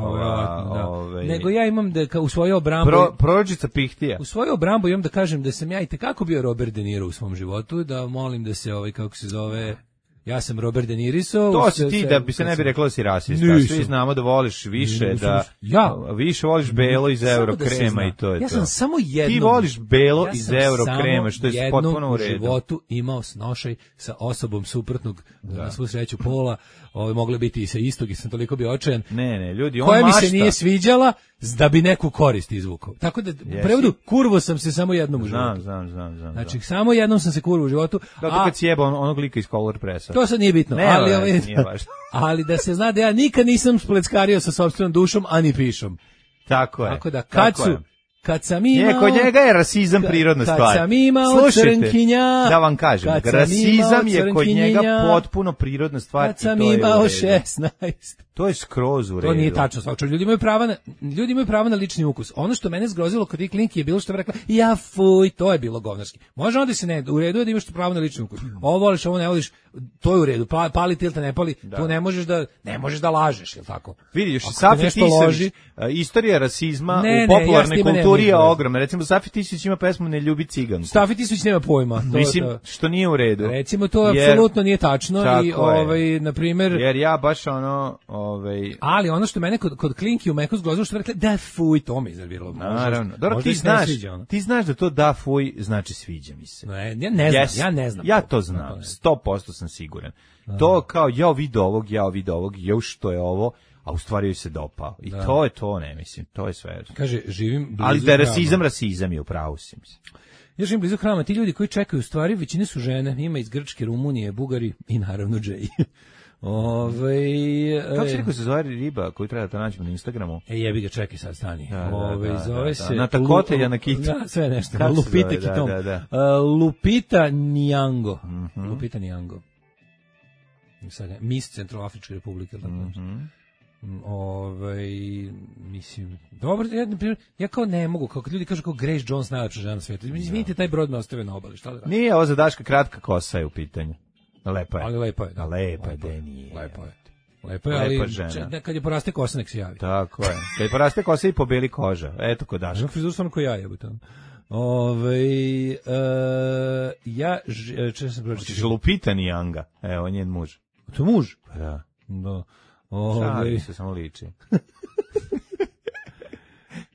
Nego ja imam da u svoju obrambu... Prorođica Pihtija. U svoju obrambu imam da kažem da sam ja i tekako bio Robert De Niro u svom životu, da molim da se kako se zove... Ja sam Robert De Niriso. To si ti da bi se ne bi reklo da si rasista. Svi znamo da voliš više, više voliš belo iz Eurokrema i to je to. Ja sam samo jednom... Ti voliš belo iz Eurokrema, što je potpuno u redu. Ja sam samo jednom u životu imao snošaj sa osobom suprotnog, na svu sreću pola, mogli biti i sa istog i sam toliko bio očajan. Ne, ljudi, on koja mašta. Mi se nije sviđala da bi neku korist izvukao. Tako da, u prevodu, kurvo sam se samo jednom u životu. Znam. Znači, samo jednom sam se kurvo u životu. Kao kad sjeba onog lika iz Color Pressa. To sad nije bitno. Ali da se zna da ja nikad nisam spleckario sa sopstvenom dušom, ani pišom. Tako je. Tako da, kad sam imao... Kod njega je rasizam prirodna stvar. Kad sam imao crnkinja... Da vam kažem, rasizam je kod njega potpuno prirodna stvar. Kad sam imao 16... To je skroz u redu. To nije tačno. Ljudi imaju pravo na lični ukus. Ono što mene zgrozilo kod tih klinki je bilo što je rekla, to je bilo govnarski. Može onda se ne, u redu je da imaš pravo na lični ukus. Ovo voliš, ovo ne voliš, to je u redu. Pali ti ili te ne pali, to ne možeš da lažeš, je li tako? Vidiš, Safi Tisović, istorija rasizma u popularnoj kulturi je ogromna. Recimo, Safi Tisović ima pesmu Ne ljubi ciganku. Safi Tisović nema pojma. Mislim, što nije u redu. Recimo, to apsolutno nije tačno i, na primjer... Jer ja baš Ali ono što mene kod klinki u Meku zgrozilo što rekli da fuj, to me iznerviralo. Naravno. Dobro, ti znaš da to da fuj znači sviđa mi se. Ja ne znam. Ja to znam. 100% sam siguran. To kao ja vidio ovog, što je ovo, a u stvari joj se dopao. I to je to, ne mislim. To je sve. Kaže, živim blizu. Ali da je rasizam je u pravu si mislim. Ja živim blizu hrama. Ti ljudi koji čekaju, u stvari većine su žene. Ima iz Grčke, Rumunije, Bugari i naravno Džej. Kako se rekao se zove riba koju treba da nađemo na Instagramu? Jebi ga, čekaj sad, stani. Zove se... Na takote ja na kitu. Da, sve nešto. Lupite Kitom. Lupita Nijango. Lupita Nijango. Miss Centroafričke republike. Mislim, dobro, ja kao ne mogu, kao kad ljudi kažu kao Grace Jones najlepša žena na svijetu. Izvinite, taj brod me ostave na obali, šta da radim? Nije, ovo za Daška kratka kosa je u pitanju. Lepa je. Ali lepa je. Lepa je, nije. Lepa je, ali kad je poraste kosa, nek se javi. Tako je. Kad je poraste kosa i pobeli koža. Eto kod Daška. Frizur stvarno ko ja jebate. Lupita Nianga. Evo, njen muž. To je muž? Da. Šali se, samo liči.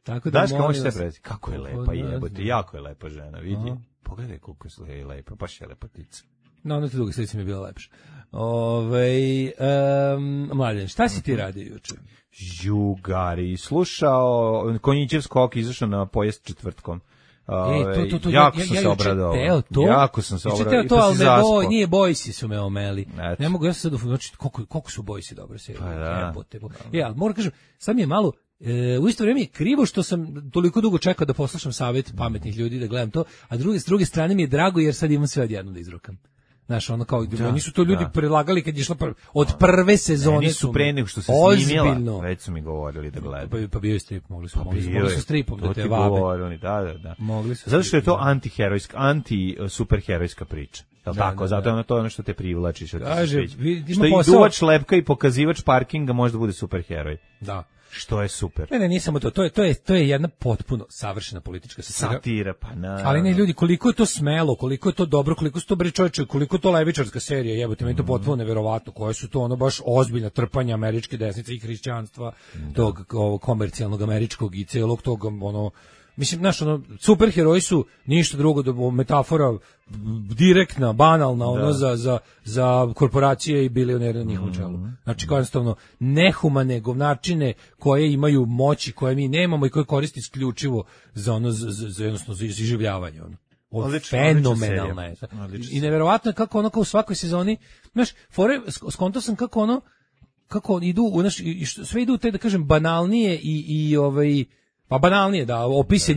Tako da Daška, možete predati. Kako je lepa jebote. Jako je lepa žena, vidi. Pogledaj koliko je lepa, baš je lepotica. No, ono te druge slici mi je bila lepša. Mladen, šta si ti radio juče? Jugari, slušao Konjićev skok, izašao na pojest četvrtkom. Jako sam se obradao. Jako sam se obradao. To, ali nije Bojsi su me omeli. Ne mogu, ja sam sad, znači, koliko su Bojsi dobro se. Pa da. Ali moram kažem, sad mi je malo, u isto vrijeme je krivo što sam toliko dugo čekao da poslušam savjet pametnih ljudi, da gledam to, a s druge strane mi je drago jer sad imam sve odjedno da izrokam. Znaš, ono kao, nisu to ljudi predlagali kad je išlo od prve sezone. Nisu pre nego što se snimila, već su mi govorili da gledaju. Pa bio je strip, mogli su stripom da te vabe. Da. Mogli su. Zato što je to anti-superherojska priča. Tako, zato je to ono što te privlači. Što i duvač lepka i pokazivač parkinga može da bude superheroj. Da. Što je super. Ne, nisam to je jedna potpuno savršena politička satira, pa na. Ali ne, ljudi, koliko je to smelo, koliko je to dobro, koliko su to bre čoveče, koliko je to levičarska serija, jebote, meni to potpuno neverovatno, koje su to ono baš ozbiljna trpanja američke desnice i hrišćanstva, tog komercijalnog američkog i celog tog ono. Mislim, znaš, ono, superheroji su ništa drugo do metafora direktna, banalna, ono, za korporacije i bilionere na njihovom čelu. Znači, kao jednostavno, nehumane govnačine koje imaju moći, koje mi nemamo i koje koriste isključivo za ono, za jednostavno, za iživljavanje, ono. Fenomenalna je. I neverovatno je kako ono, kao u svakoj sezoni, znaš, skonto sam kako idu, sve idu te, da kažem, banalnije pa banalnije, da, opise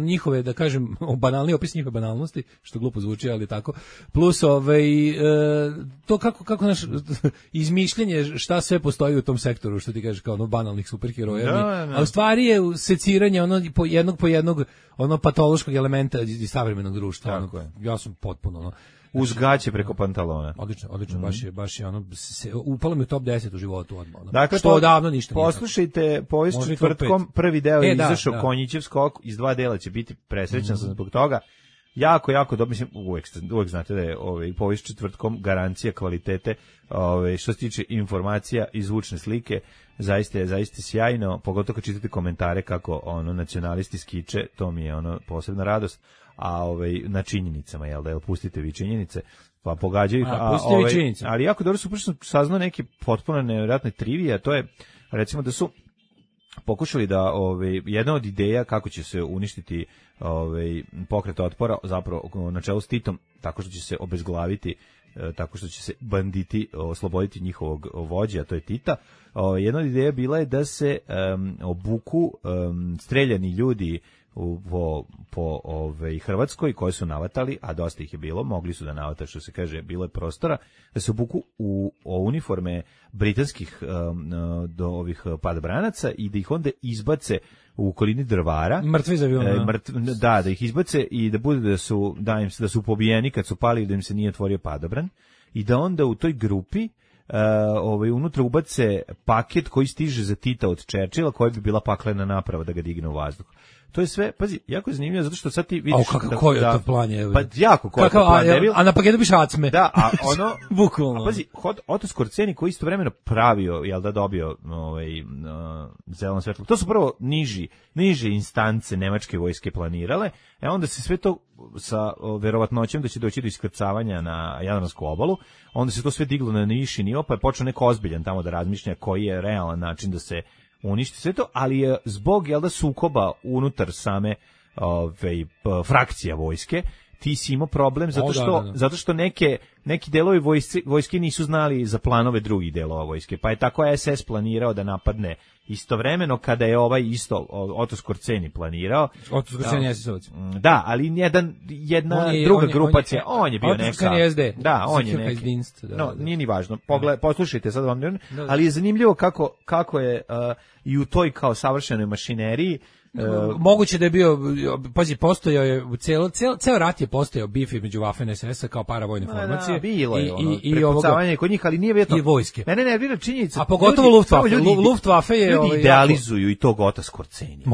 njihove, da kažem, banalnije opis njihove banalnosti, što glupo zvuči, ali tako, plus to kako naš izmišljenje šta sve postoji u tom sektoru, što ti kažeš, kao ono banalnih superheroja, a u stvari je seciranje ono po jednog ono patološkog elementa iz savremenog društva. Ja sam potpuno ono uz gaće preko pantalona. Odlično, baš je ono, upalo mi u top 10 u životu odmah. Dakle, što odavno ništa nije. Poslušajte, povijest četvrtkom, prvi deo je izašao Konjićev skok, iz 2 dela će biti, presrećan sam zbog toga. Jako dobro, mislim, uvek znate da je povijest četvrtkom garancija kvalitete, što se tiče informacija i zvučne slike, zaista je sjajno, pogotovo kad čitate komentare kako ono nacionalisti skiče, to mi je ono posebna radost. A na činjenicama, jel da, pustite vi činjenice, pa pogađaju ih, ali jako dobro su sam saznao neke potpuno nevjerojatne trivije, a to je, recimo, da su pokušali da jedna od ideja kako će se uništiti pokret otpora, zapravo na čelu s Titom, tako što će se obezglaviti, tako što će se banditi osloboditi njihovog vođa, a to je Tita. Jedna od ideja bila je da se obuku streljani ljudi po Hrvatskoj koji su navatali, a dosta ih je bilo, mogli su da navata, što se kaže, bilo je prostora, da se obuku u uniforme britanskih do ovih padobranaca i da ih onda izbace u okolini Drvara. Mrtvi za avion. Da ih izbace i da bude da su pobijeni kad su pali, da im se nije otvorio padobran i da onda u toj grupi unutra ubace paket koji stiže za Tita od Churchilla, koja bi bila paklena naprava da ga digne u vazduh. To je sve, pazi, jako je zanimljivo, zato što sad ti vidiš... Koji je to plan je? Pa jako koji je to plan. A na paketu biš acme. Da, a ono... Bukvalno. A pazi, Otto Skorceni koji istovremeno pravio, jel da, dobio zeleno svetlo. To su prvo niže instance nemačke vojske planirale, onda se sve to sa verovatnoćem da će doći do iskrcavanja na Jadransku obalu, onda se to sve diglo na viši nivo, pa je počeo neko ozbiljan tamo da razmišlja koji je realan način da se uništi sve to, ali je zbog, jel da, sukoba unutar same frakcija vojske, ti si imao problem zato što neki delovi vojske nisu znali za planove drugih delova vojske, pa je tako SS planirao da napadne istovremeno kada je isto Otto Skorceni planirao. Otto Skorceni je SS-ovac. Da, ali jedna druga grupacija, on je bio neka. Otto Skorceni je SD. Da, on je neki. No, nije ni važno. Poslušajte sad vam, ali je zanimljivo kako je i u toj kao savršenoj mašineriji moguće da je bio, pazi, postojao je ceo rat je postojao bif između Waffen SS-a kao paravojne formacije. Bilo je prepucavanje kod njih, ali nije vjetno. I vojske. Mene nervira činjenica. A pogotovo Luftwaffe je... Ljudi idealizuju i tog Ota Skorceni.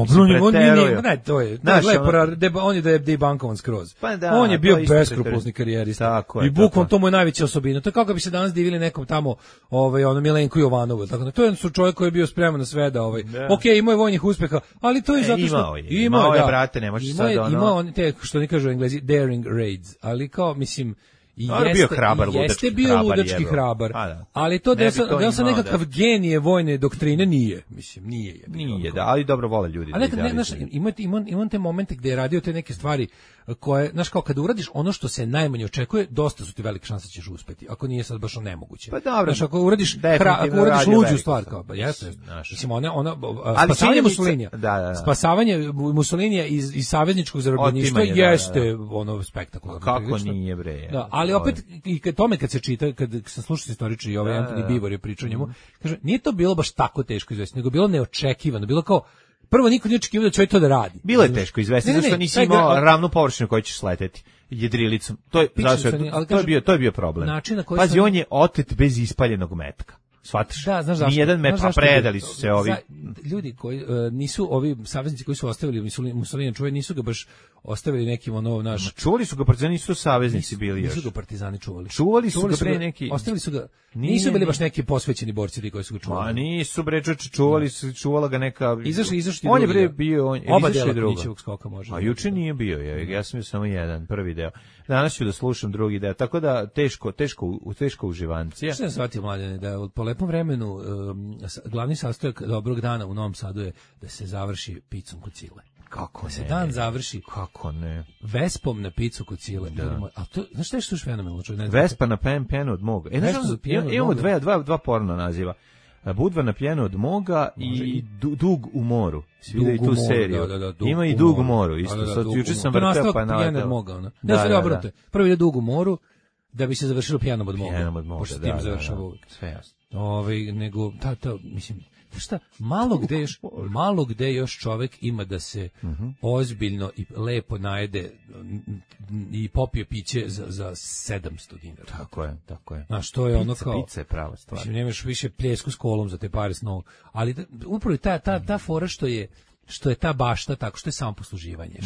Ne, to je lepo, on je debankovan skroz. On je bio beskrupulozni karijerista. I bukvalno to mu je najveća osobina. To je kako bi se danas divili nekom tamo Milenku Jovanovu. To je čovjek koji je bio spreman na sve da imao je vojnih uspeha, ali to je zato što imao je, brate, ne možeš sad imao on te, što ne kažu Englezi, daring raids, ali kao, mislim, jeste bio ludački hrabar, ali to da sam nekakav genije vojne doktrine nije, mislim, nije, ali dobro vole ljudi. Ali imam te momente gde je radio te neke stvari koje, znaš, kao kada uradiš ono što se najmanje očekuje, dosta su ti velike šanse da ćeš uspeti, ako nije sad baš nemoguće. Pa dobro, znaš, ako uradiš luđu stvar, kao, jeste, mislim, spasavanje Mussolinija, spasavanje Mussolinija iz savezničkog zarobljeništva jeste ono spektakularno. Kako nije, bre? Da, ali opet, i kad se čita, kad sam slušao istoričari i ovaj Antoni Bivor je pričao njemu, kaže, nije to bilo baš tako teško izvesti, nego bilo neočekivano, bilo kao, prvo niko nije očekivao da će to da radi. Bilo je teško izvesti, zašto nisi imao ravnu površinu koju ćeš sleteti jedrilicom. To je bio problem. Pazi, on je otet bez ispaljenog metka. Shvataš? Da, znaš zašto? Nijedan meč, a predali su se ovi. Ljudi koji nisu, ovi saveznici koji su ostavili Mussolini, čuveni, nisu ga baš ostavili nekim naš. Čuvali su ga partizani, nisu saveznici bili još. Nisu ga partizani čuvali. Čuvali su ga pre neki. Ostavili su ga. Nisu bili baš neki posvećeni borci ti koji su ga čuvali. A nisu bre, čuvala ga neka. Izašli. On je bre bio, oba dela Knićevog skoka može. A juče nije bio, ja sam bio samo jedan, prvi deo. Danas ću da slušam drugi deo, tako da teško uživancija. Što sam shvatio, Mladene, da po lepom vremenu glavni sastojak dobrog dana u Novom Sadu je da se završi picom kod Cile. Kako da se dan završi. Kako ne? Vespom na picu kod Cile. A to, znaš što je fenomenalno? Vespa na pijenu od moga. Imamo dva porno naziva. Budva na pijenu od moga i Dug u moru. Svi da i tu seriju. Ima i Dug u moru. Isto, sad juče sam vrteo pa naletao. Prvo ide Dug u moru, da bi se završilo pijenom od moga. Pošto s tim završava uvijek. Sve jasno. Nego, mislim, šta, malo gde još čovek ima da se ozbiljno i lepo najede i popije piće za 700 dinara. Tako je. Znaš, to je ono kao... Pizza je prava stvar. Mislim, nemaš više pljesku s kolom za te pare s novog. Ali upravo je ta fora što je ta bašta tako, što je samoposluživanje,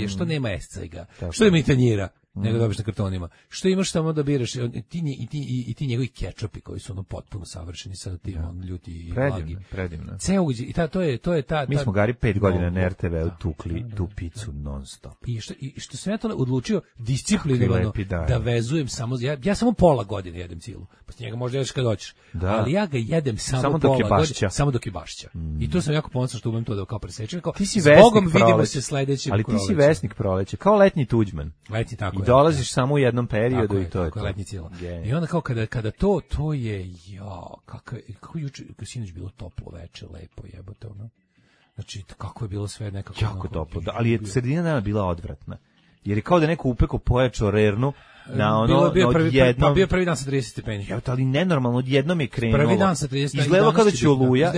što nema escajga, što nema i tanjira, nego dobiš na kartonima. Što imaš samo da biraš i ti njegovi kečupi koji su potpuno savršeni sa tim ljuti i blagi. Predivno. I to je ta. Mi smo Gari 5 godina na RTV-u tukli tu picu non stop. I što sam ja to odlučio disciplinovano da vezujem samo ja samo pola godine jedem cilu. Posle njega možda jedeš kad hoćeš. Ali ja ga jedem samo pola godine, samo dok je bašća. I to sam jako ponosan što umem to da kao presečem. Zbogom vidimo se sledećim. Ali ti si vesnik proleće, kao letnji Tuđman. Letnji tako. Dolaziš samo u jednom periodu i to je to. Letnji cila. I onda kao kada to je kako juče sinoć bilo toplo veče, lepo jebote ono. Znači kako je bilo sve nekako jako toplo, ali je sredina dana bila odvratna. Jer je kao da neko upeko pojačao rernu na odjednom. Bio prvi dan sa 30 stepeni. Ali nenormalno, odjednom je krenulo. Prvi dan sa 30 stepeni. Izgledalo kao da će oluja.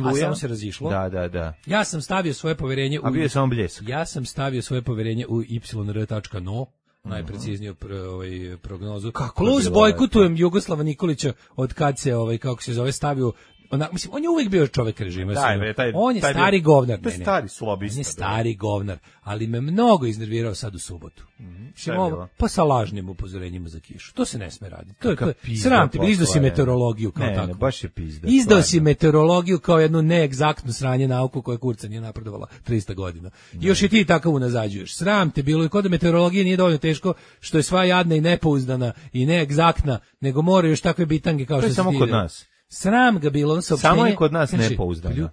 A samo se razišlo. Da. Ja sam stavio svoje poverenje a bio je samo bljesak. Ja sam stavio svoje poverenje u yr.no, najprecizniju prognozu. Plus bojkotujem Jugoslava Nikolića od kad se kako se zove stavio. Mislim, on je uvijek bio čovjek režima. On je stari govnar. To je stari slobista. On je stari govnar, ali me mnogo iznervirao sad u subotu. Pa sa lažnim upozorenjima za kišu. To se ne sme raditi. To je sram ti, izdao si meteorologiju kao tako. Ne, baš je pizda. Izdao si meteorologiju kao jednu neegzaktnu sranje nauku koja kurca nije napredovala 300 godina. I još i ti tako unazađuješ. Sram te bilo i kod meteorologije nije dovoljno teško što je sva jadna i nepouzdana i neegzaktna, nego moraju još takve bitange kao što se samo kod nas. Sram ga bilo saopštenje. Samo je kod nas nepouzdano.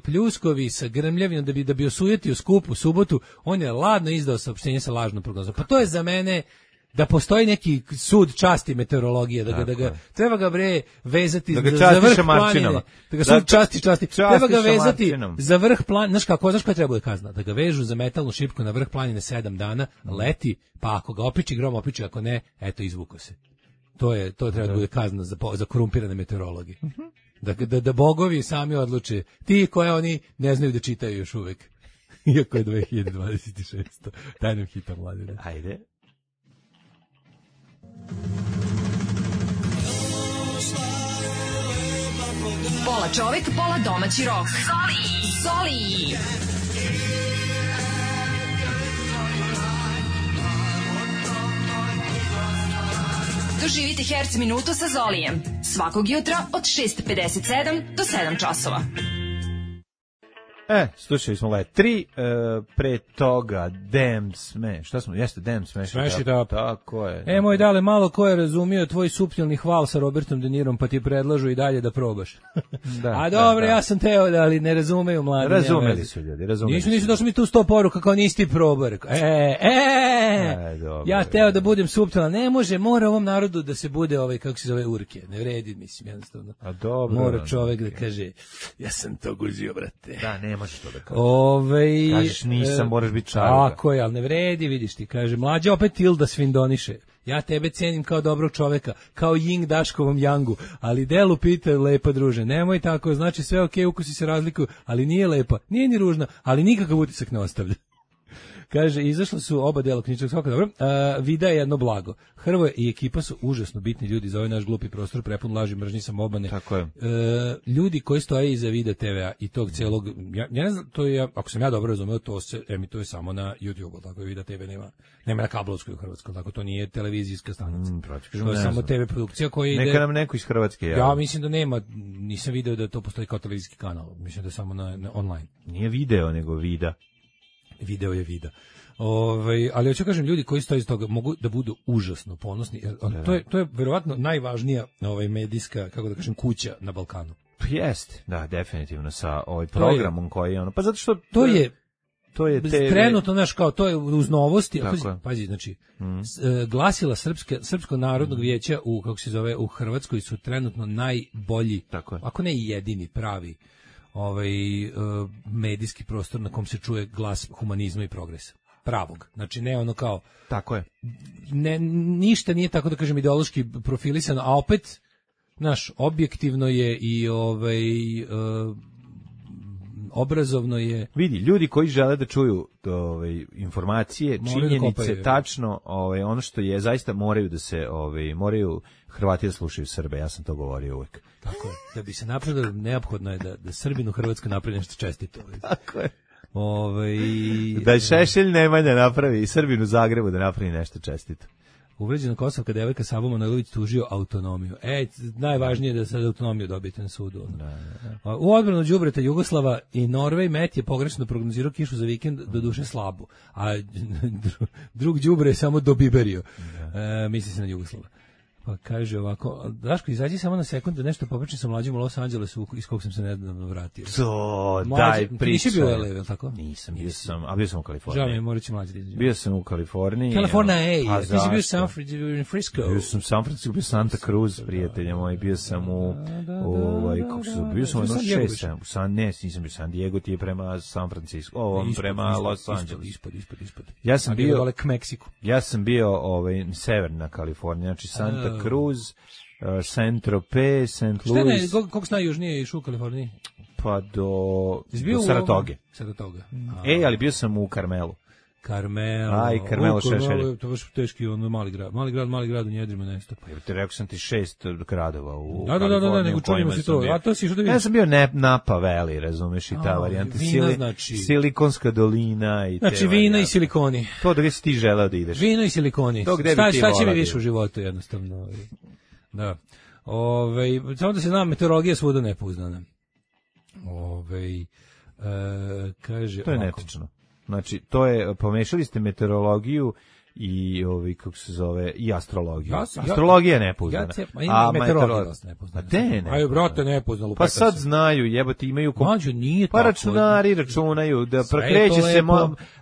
Pljuskovi sa grmljavinom da bi osujetio skup u subotu, on je ladno izdao saopštenje sa lažnom prognozom. Pa to je za mene da postoji neki sud časti meteorologije, da ga treba ga bre vezati za vrh planine, da ga sud časti, treba ga vezati za vrh planine, znaš koja treba da kazna, da ga vežu za metalnu šipku na vrh planine 7 dana, leti, pa ako ga opiči grom, opiči, ako ne, eto izvuko se. To treba da bude kazna za korumpirane meteorologe. Da bogovi sami odluče. Ti koje oni ne znaju da čitaju još uvek. Iako je 2026. Daj nam hita, Mladine. Ajde. Pola čovek, pola domaći rok. Zoli! Doživite Herc minutu sa Zolijem. Svakog jutra od 6:57 do 7 časova. Slušali smo Let 3, pre toga Damn Smash. Šta smo? Jeste Damn Smash. Smash it up. Tako je. Moj dale, malo ko je razumio tvoj suptilni hval sa Robertom De Nirom, pa ti predlažu i dalje da probaš. A dobro, ja sam teo da, ali ne razumeju mladi. Razumeli su ljudi, Nisu došli mi tu 100 poruka kao nisi ti probao. Ja teo da budem suptilan. Ne može, mora ovom narodu da se bude kako se zove urke. Ne vredi, mislim, jednostavno. A dobro. Mora čovek da kaže, ja sam to guzio, brate. Da, ne možeš to da kažeš. Kažeš nisam, moraš biti čaruga. Tako je, ali ne vredi, vidiš ti. Kaže, mlađa opet Tilda svindoniše. Ja tebe cenim kao dobrog čoveka, kao Ying Daškovom Yangu, ali delu pita lepa druže. Nemoj tako, znači sve okej, ukusi se razlikuju, ali nije lepa, nije ni ružna, ali nikakav utisak ne ostavlja. Kaže, izašla su oba dela knjižnog svaka, dobro. Vida je jedno blago. Hrvoje i ekipa su užasno bitni ljudi za ovaj naš glupi prostor, prepun laži, mržnji, samobane. Tako je. Ljudi koji stoje iza Vida TV-a i tog celog, ja ne znam, to je, ako sam ja dobro razumeo, to se emituje samo na YouTube, tako je Vida TV nema na kablovskoj u Hrvatskoj, tako to nije televizijska stanica. To je samo TV produkcija koja ide... Neka nam neko iz Hrvatske javi. Ja mislim da nema, nisam video da to postoji kao televizijski kanal, mislim da je samo na online. Nije video, nego vida. Video je vida. Ali hoću kažem, ljudi koji stoje iz toga mogu da budu užasno ponosni. To je verovatno najvažnija medijska, kako da kažem, kuća na Balkanu. Jeste, da, definitivno sa programom koji je ono. Pa zato što to je trenutno naš kao to je uz novosti, pazi, znači glasila Srpskog narodnog vijeća u kako se zove u Hrvatskoj su trenutno najbolji, ako ne i jedini pravi medijski prostor na kom se čuje glas humanizma i progresa. Pravog. Znači ne ono kao... Tako je. Ništa nije tako da kažem ideološki profilisano, a opet naš objektivno je i obrazovno je... Vidi, ljudi koji žele da čuju informacije, činjenice, tačno ono što je, zaista moraju da se, moraju Hrvati da slušaju Srbe, ja sam to govorio uvek. Tako je, da bi se napravilo, neophodno je da Srbin u Hrvatskoj napravi nešto čestito. Tako je. Da Šešelj Nemanja napravi i Srbin u Zagrebu da napravi nešto čestito. Uvređena kosovka devojka Savo Manojlović tužio autonomiju. Najvažnije je da sad autonomiju dobijete na sudu. U odbranu đubreta Jugoslava i Norvej Met je pogrešno prognozirao kišu za vikend, do duše slabu. A drug đubre je samo dobiberio. Misli se na Jugoslava. Pa kaže ovako, Daško, izađi samo na sekund da nešto popričam sa mlađim u Los Angelesu iz kog sam se nedavno vratio. Daj, pričaj. Nisi bio u LA, je li tako? Nisam, bio sam u Kaliforniji. Žao mi, morat ću mlađi da izađem. Bio sam u Kaliforniji. Kalifornija, ti si bio u Frisco. Bio sam u San Francisco, bio Santa Cruz, prijatelja moji, bio sam bio sam u 6, nisam bio San Diego, ti je prema San Francisco, prema Los Angeles. Ispod. Ja sam bio dole k Meksiku. Ja sam bio severna Kalifornija, znači Santa Cruz, Saint-Tropez, St. Louis. Koliko s najjužnije išao u Kaliforniji? Pa do Saratoge. Ali bio sam u Carmelu. Carmelo Šešelj. To je baš teški mali grad u njedrima nesto. Pa te rekao sam ti 6 gradova u Kaliforniji. Da, nego čujemo si to. A to si što da vidiš? Ja sam bio Napa Valley, razumeš, i ta varijanta. Silikonska dolina i te. Znači vina i silikoni. To gde si ti želeo da ideš. Vino i silikoni. Šta će mi više u životu jednostavno. Da. Samo da se zna, meteorologija svuda nepouzdana. Kaže to je netačno. Znači, to je, pomešali ste meteorologiju i kako se zove, i astrologiju. Astrologija je nepouzdana. A meteorologija je nepouzdana. Ajde, brate, nepouzdano. Pa sad znaju, jebote, imaju... Mađo, nije tako. Pa računari računaju da prekreće se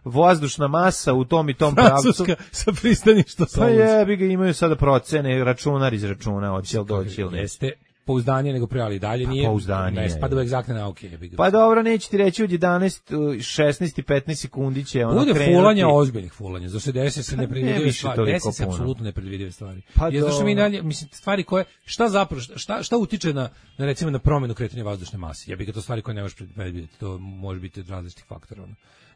vazdušna masa u tom i tom pravcu. Francuska sa pristaništa. Pa jebi ga, imaju sada procene, računar izračuna, hoće li doći ili ne. Jeste pouzdanje nego pre, ali dalje nije. Pouzdanje. Ne spada u egzaktne nauke. Pa dobro, neće ti reći od 11, 16 i 15 sekundi će ona krenuti. Bude fulanja, ozbiljnih fulanja. Za se desi se nepredvidive stvari. Desi se apsolutno nepredvidive stvari. Jer zašto mi dalje, mislim, stvari koje, šta zapravo, šta utiče na recimo na promjenu kretanja vazdušne mase? Ja bih ga to stvari koje ne možeš predvidjeti. To može biti od različitih faktora.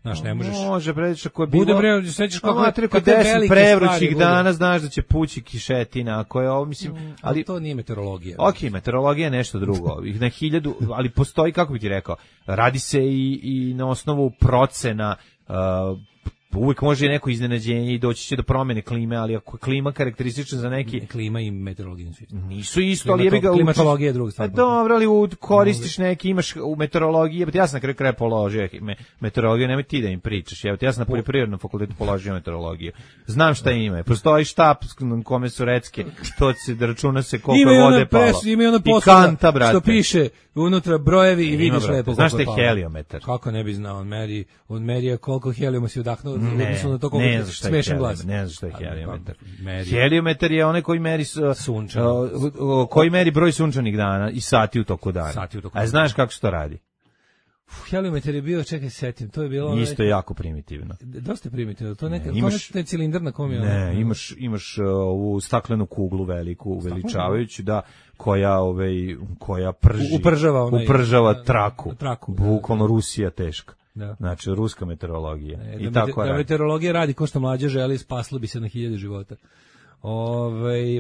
Znaš, ne možeš. Može preći ako je bude bre, sećaš kako je 10 prevrućih dana, znaš da će pući kišetina, ako je ovo, mislim, ali to nije meteorologija. Okej, meteorologija je nešto drugo. Ih na 1000, ali postoji, kako bih ti rekao, radi se i na osnovu procena uvijek može neko iznenađenje i doći će do promjene klime, ali ako je klima karakteristična za neki... Klima i meteorologija nisu isto, ali jebi ga... Klimatologija je druga stvar. Dobro, ali koristiš neki, imaš u meteorologiji, ja sam na kraju kraja položio meteorologiju, nemoj ti da im pričaš, ja sam na poljoprivrednom fakultetu položio meteorologiju. Znam šta ima, postoji štap na kome su recke, to se da računa se koliko je vode palo. Ima ono posla što piše unutra brojevi i vidiš lepo. Znaš šta je heliometar? Kako ne bi znao, on meri koliko helijuma si udahnuo, odnosno na to koliko smešan glas. Ne znaš šta je heliometar. Heliometar je onaj koji meri koji meri broj sunčanih dana i sati u toku dana. A znaš kako se to radi? Heliometar je bio, čekaj, setim, to je bilo... Isto je jako primitivno. Dosta primitivno, to je cilindar na kom je... Ne, imaš ovu staklenu kuglu veliku, uveličavajuću, da, koja upržava traku. Bukvalno Rusija teška. Da. Znači, ruska meteorologija. I tako radi. Meteorologija radi ko što mlađe želi, spaslo bi se na 1000 života.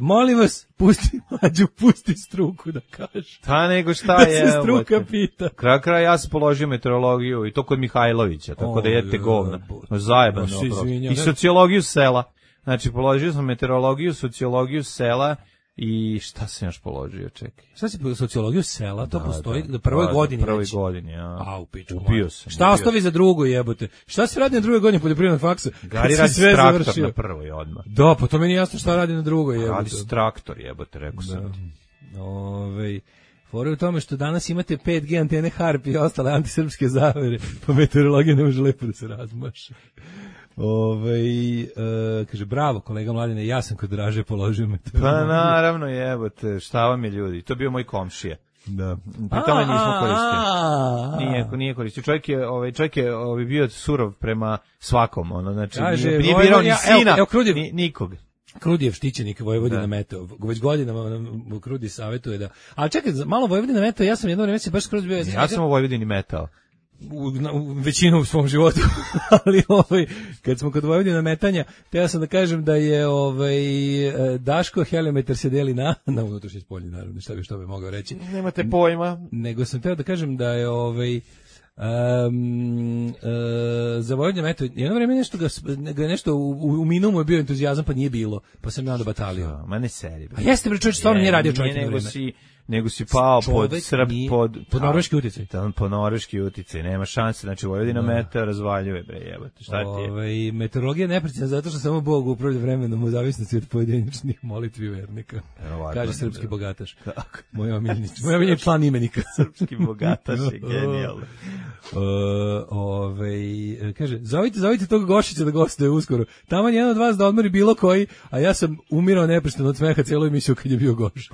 Molim vas, pusti struku da kaže. Ta nego šta je. Da se struka pita. Kraj ja sam položio meteorologiju i to kod Mihajlovića, tako da jedete govna. Zajebano. I sociologiju sela. Znači, položio sam meteorologiju, sociologiju sela i šta sam još položio, čekaj. Šta si sociologiju sela, to postoji na prvoj godini. Prvoj godini, ja. A, u piču. Ubio sam. Šta ostavi za drugo, jebote? Šta se radi na drugoj godini poljoprivrednog faksa? Gari radi traktor na prvoj odmah. Da, pa to meni jasno šta radi na drugoj, jebote. Radi traktor, jebote, rekao sam ti. Fora je u tome što danas imate 5G antene Harp i ostale antisrpske zavere, pa meteorologija ne može lepo da se razmaša. Kaže, bravo kolega Mladine, ja sam kod Draže položio meteorologiju. Pa naravno, jebote, šta vam je ljudi, to je bio moj komšija. Da. Pri tome nismo koristili. Nije koristio. Čovjek je bio surov prema svakom, znači nije birao ni sina, nikog. Krudijev štićenik Vojvodina Meteo, već godinama Krudi savjetuje da... Ali čekaj, malo Vojvodina Meteo, ja sam jedno vreme baš skroz bio... Ja sam u Vojvodini Meteo. U većinu u svom životu, ali kad smo kod Vojvodina metanja, teo sam da kažem da je Daško heliometar se deli na unutrašnje spolje, naravno, što bi mogao reći. Nemate pojma. Nego sam teo da kažem da je za Vojvodina meteo, jedno vreme nešto u minumu je bio entuzijazam, pa nije bilo, pa sam ja onda batalio. Ma ne seri. A jeste bre, čovjek stvarno nije radio čovjek na vreme. Nego si pao pod norveški uticaj. Po norveški uticaj, nema šanse, znači Vojvodina meteo razvaljuje, bre, jebote, šta ti je? Meteorologija je neprecizna zato što samo Bog upravlja vremenom u zavisnosti od pojedinačnih molitvi vernika. Kaže srpski bogataš. Moj omiljeni član imenika. Srpski bogataš je genijalno. Kaže, zovite tog Gošića da gostuje uskoro. Taman jedan od vas da odmori bilo koji, a ja sam umirao neprestano od smeha cijelu emisiju kad je bio Gošić.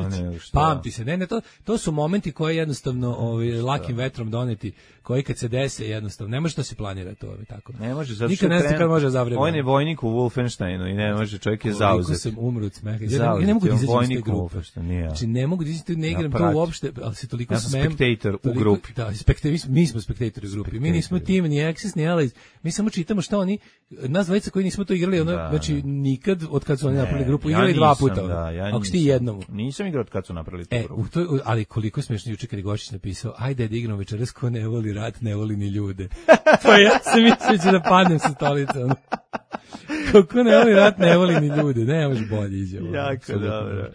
Pamti se, ne, to su momenti koji jednostavno lakim vetrom doneti, koji kad se dese jednostavno, ne može to se planira to tako. Ne može, zato nikad ne zna kad može zavremati. On je vojnik u Wolfensteinu i ne može, čovjek je zauzet. Koliko sam umro od smeha. Ja ne mogu da izađem iz te grupe. Znači, ne mogu da izađem, ne igram to uopšte, ali se toliko smem. Ja sam spektator u grupi. Da, mi smo spektatori u grupi. Mi nismo tim, ni Axis, ni Allies. Mi samo čitamo šta oni, nas dvojica koji nismo to igrali, znači nikad od kad su oni napravili grupu, igrali 2 puta. Ako si ti jednom. Nisam igrao od kad su napravili tu grupu. Ali koliko je smiješno juče kad je Gošić napisao, ajde da igramo večeras, ko ne voli rat, ne voli ni ljude. Pa ja sam mislio da padnem sa stolice. Kako ne voli rat, ne voli ni ljude. Ne može bolje izjavo. Jako dobro.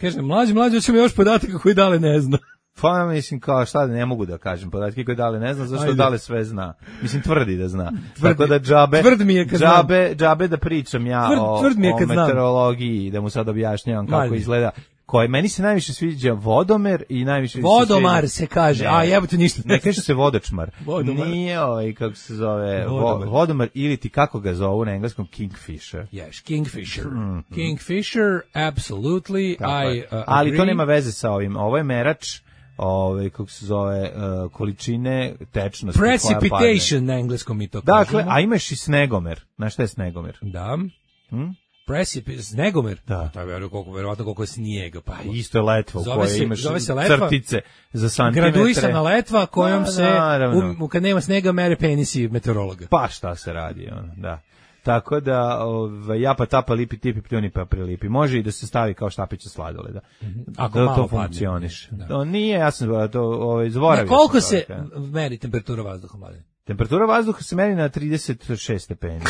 Kažem, mlađe, hoćemo još podataka koji Dale ne zna. Pa mislim kao šta ne mogu da kažem podatke koje Dale ne zna, zašto Dale sve zna. Mislim tvrdi da zna. Tako da džabe da pričam ja o meteorologiji, da mu sad objašnjavam kako izgleda. Meni se najviše sviđa vodomer i najviše vodomar se kaže, a jebote ništa. Ne kaže se vodočmar. Nije kako se zove vodomar ili ti kako ga zovu na engleskom Kingfisher. Yes, Kingfisher. Kingfisher, absolutely. Ali to nema veze sa ovim. Ovo je merač kako se zove, količine tečnosti. Precipitation na engleskom mi to kažemo. Dakle, a imaš i snegomer. Znaš šta je snegomer? Da. Snegomer? Da. To je verovatno koliko je snijega. Pa isto je letva u kojoj imaš crtice za santimetre. Graduisana letva kojom se, kad nema snega, mere penisi meteorologa. Pa šta se radi, da. Tako da, japa tapa lipi tipi pljuni pa prilipi. Može i da se stavi kao štapić sladoleda. Ako da to funkcioniš. To nije, ja sam to zaboravio. Koliko se meri temperatura vazduha, Mladen? Temperatura vazduha se meri na 36 stepeni, 5.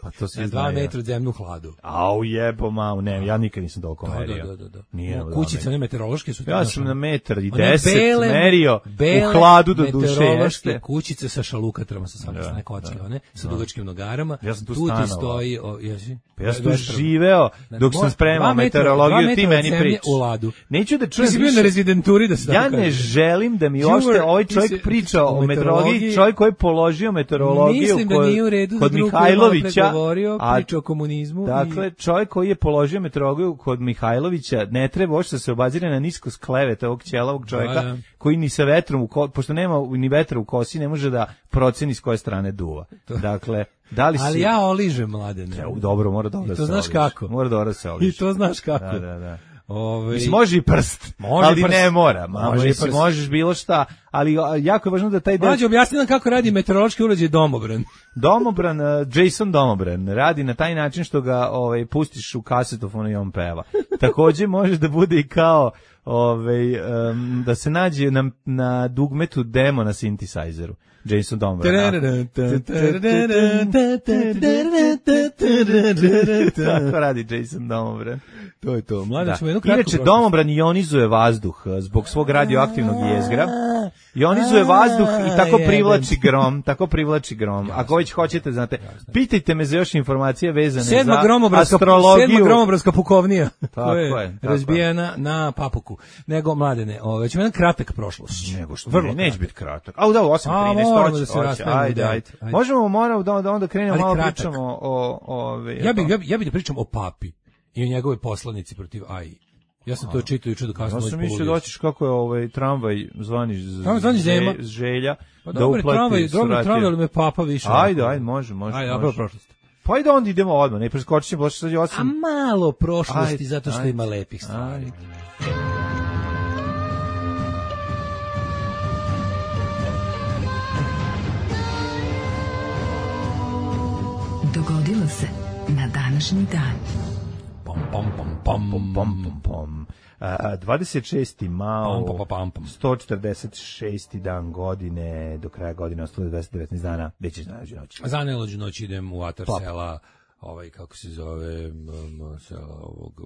Pa to se 2 metra od zemlju hladu. Au jebo mamu, ne, ja nikad nisam toliko merio. Da. Nije, kućice, one meteorološke su... Ja sam na 1,10 merio u hladu do duše. Meteorološke kućice sa šalukatrama, sa samosne kocke, one, sa dugačkim nogarama. Ja sam tu stanovao. Tu ti stoji... Ja sam tu živeo dok sam spremao meteorologiju, ti meni prič. Neću da čujem više. Ti si bio na rezidenturi da se ja ne želim da mi ošte ovaj čovjek priča o meteorologiji, čovjek koji je položio meteorologiju kod Mihajlovića, a priča o komunizmu. Dakle, čovjek koji je položio meteorologiju kod Mihajlovića ne treba uopšte da se obazira na nisko sklevete ovog ćelavog čovjeka koji ni sa vetrom, pošto nema ni vetra u kosi, ne može da proceni s koje strane duva. Dakle, da li si... Ali ja oližem, Mladene. Dobro, mora dobro da se oliš. I to znaš kako? Mora dobro da se oliš. I to znaš kako? Da. Mislim, može i prst, ali prst. Ne mora. Možeš bilo šta, ali jako je važno da taj... Mlađe, objasni nam kako radi meteorološki uređaj Domobran. Domobran, Jason Domobran, radi na taj način što ga pustiš u kasetofonu i on peva. Takođe može da bude i kao... da se nađe na dugmetu demo na synthesizeru. Jason Domobran. Tako radi Jason Domobran. To je to. Inače, Domobran ionizuje vazduh zbog svog radioaktivnog jezgra. Ionizuje vazduh i tako privlači grom. Ako već hoćete, znate, pitajte me za još informacije vezane za astrologiju. 7. gromobranska pukovnija. Tako je. Razbijena na Papuku. Nego, Mladene, ćemo jedan kratak prošlost. Nego što neće biti kratak. A da, 8:13. Ajde. Moramo da onda krenemo malo pričamo o... Ja bih da pričam o papi i o njegove poslanici protiv AI. Ja sam to čitao juče do kasno. Ja sam mislio da hoćeš kako je tramvaj zvani Želja. Pa dobro, tramvaj, ali me papa više. Ajde, može. Ajde, dobro prošlost. Pa ajde onda idemo odmah, ne preskočit ćemo, sad je 8. A malo prošlosti, zato što ima lepih stvari. Dogodilo se na današnji dan. 26. mao, 146. dan godine, do kraja godine ostalo 219 dana, već je znajuđu noć. Za najluđu noć idem u atar sela, kako se zove, sela ovog,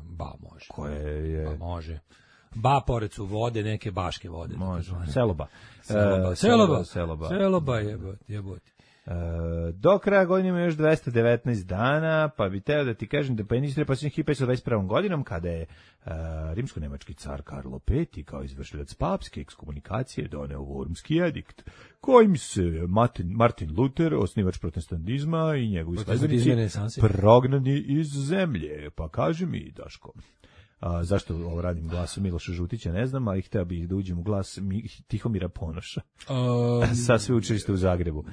Ba može. Koje je? Ba može. Ba pored su vode, neke baške vode. Može, Seloba. Seloba jebote. Do kraja godine ima još 219 dana, pa bi teo da ti kažem da Penistre posljednjih 1521. godinom, kada je rimsko-nemački car Karlo V kao izvršilac papske ekskomunikacije doneo Wormski edikt, kojim se Martin Luther, osnivač protestantizma i njegovi sledbenici prognani iz zemlje. Pa kaži mi, Daško, zašto ovo radim glasom Miloša Žutića, ne znam, ali hteo bih da uđem u glas Tihomira Ponoša sa sveučilišta u Zagrebu.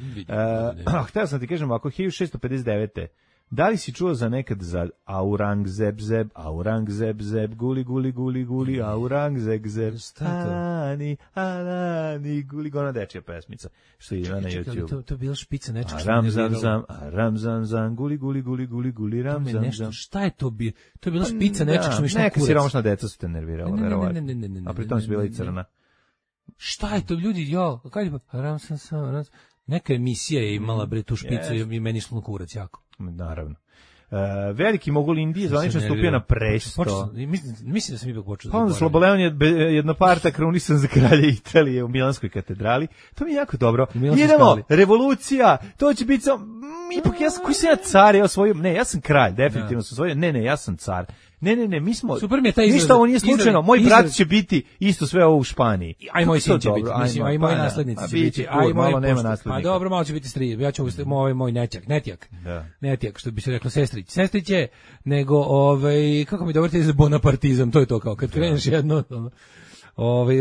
Hteo sam ti kažem, ako 1659. Da li si čuo za nekad za Aurangzeb, guli, Aurangzeb, Ani, guli, gona dečja pesmica, što ide na YouTube. To je bila špica nečeg što Ramzam, guli, Ramzam. Šta je to bilo? To je bila špica nečeg što mi šta kurac. Neka siromašna deca su te nervirala, verovatno. A pritom si bila i crna. Šta je to, ljudi, Ramzam. Neka emisija je imala tu špicu i meni šlo kurac jako. Naravno. Veliki mogul Indije zvanično stupio na presto. Mislim da sam ipak počeo. Pa onda Sloboleon je jednoparta krunisan za kralja Italije u Milanskoj katedrali. To mi je jako dobro. Idemo, revolucija, to će biti ipak koji sam ja car, ja sam kralj, definitivno sam osvojio. Ne, ja sam car. Ne, mi smo... Super mi je taj izraz. Ništa ovo nije slučajno. Moj brat će biti isto sve ovo u Španiji. Aj moj sin će biti. Mislim, aj moji naslednici će biti. Aj malo nema naslednika. Pa dobro, malo će biti strije. Ja ću moj netjak, što bi se reklo sestrić je, nego, kako mi dovrte za bonapartizam, to je to kao, kad kreneš jedno...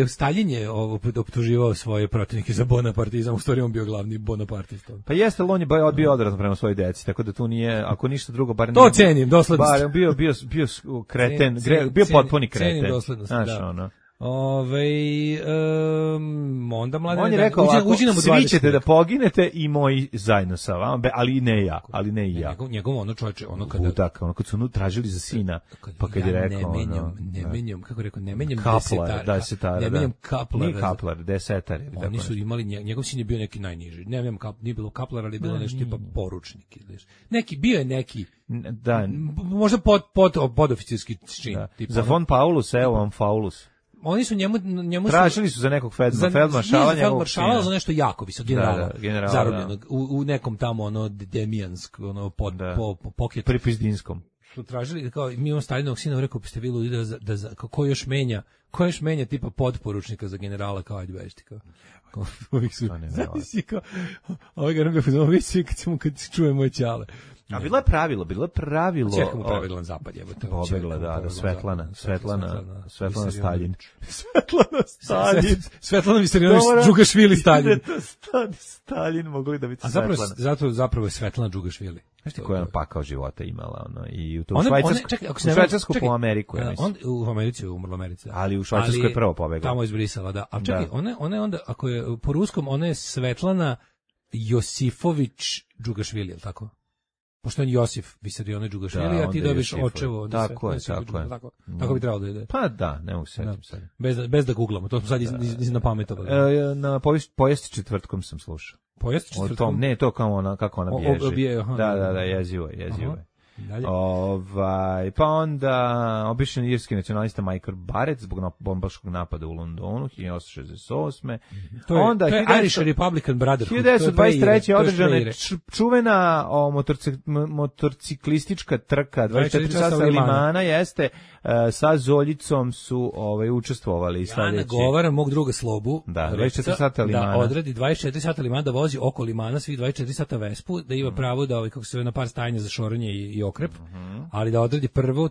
Stalin je optuživao svoje protivnike za bonapartizam, u stvari on bio glavni bonapartista. Pa jeste, on je bio odvratno prema svojoj deci, tako da tu nije, ako ništa drugo, bar to cenim, doslednost. Bar bio kreten, bio potpuni kreten. Cenim doslednost, znaš, da. ono. Onda mlade... On je rekao, svi ćete da poginete i moji zajedno sa vama, ali ne ja, ali ne i ja. Njegov ono čovječe, ono kada... Budak, ono kad su tražili za sina, pa kad je rekao... Ne menjam, kako je rekao, ne menjam desetara. Ne menjam kaplara. Nije kaplar, desetar. Oni su imali, njegov sin je bio neki najniži. Ne menjam, nije bilo kaplar, ali je bilo nešto tipa poručnik. Bio je neki... Da. Možda podoficirski čin. Za von Paulus, evo vam Faulus. Oni su njemu tražili su za nekog feldmaršala, za nešto jako visok generala zarobljenog u nekom tamo ono Demjansk, ono po pocket Pripizdinskom. Su tražili kao mi imamo Stalinovog sina, rekao biste vi ludi da ko još menja tipa podporučnika za generala kao ajde bežite kao. Ovih su. Zavisi kao ovaj ga ne kad čuje moj ćale. A bilo je pravilo. Čekamo pravilo na zapad, jebote. Pobegla, da, Svetlana Stalin. Svetlana Visarionović Džugašvili Stalin. Stalin mogli da biti Svetlana. A zapravo je Svetlana Džugašvili. Znaš ti koja je pakao života imala, ono, i u Švajcarsku po Ameriku, ja mislim. U Americi je umrlo Americi. Ali u Švajcarskoj je prvo pobegla. Tamo iz Brisela, da. A čekaj, ona je onda, ako je po ruskom, ona je Svetlana Josifović Džugašvili, je li tako? Pošto je Josif Visarionović Džugašvili, a ti dobiš očevo. Tako je. Tako bi trebalo da ide. Pa da, ne mogu se setim sad. Bez da googlamo, to smo sad napametovali. Na povijest četvrtkom sam slušao. Povijest četvrtkom? Ne, to kao ona, kako ona bježe. Da, jezivo je. Pa onda običan irski nacionalista Michael Barrett zbog bombaškog napada u Londonu 1868. To je Irish Republican Brotherhood. 1923. održana je čuvena motorciklistička trka 24 sata Limana, jeste sa Zoljicom su učestvovali. Ja nagovaram mog druga Slobu da 24 sata Limana da odradi 24 sata Limana, da vozi oko Limana svih 24 sata Vespu, da ima pravo da kako se na par stajanja za šoranje i okrep, ali da odradi prvo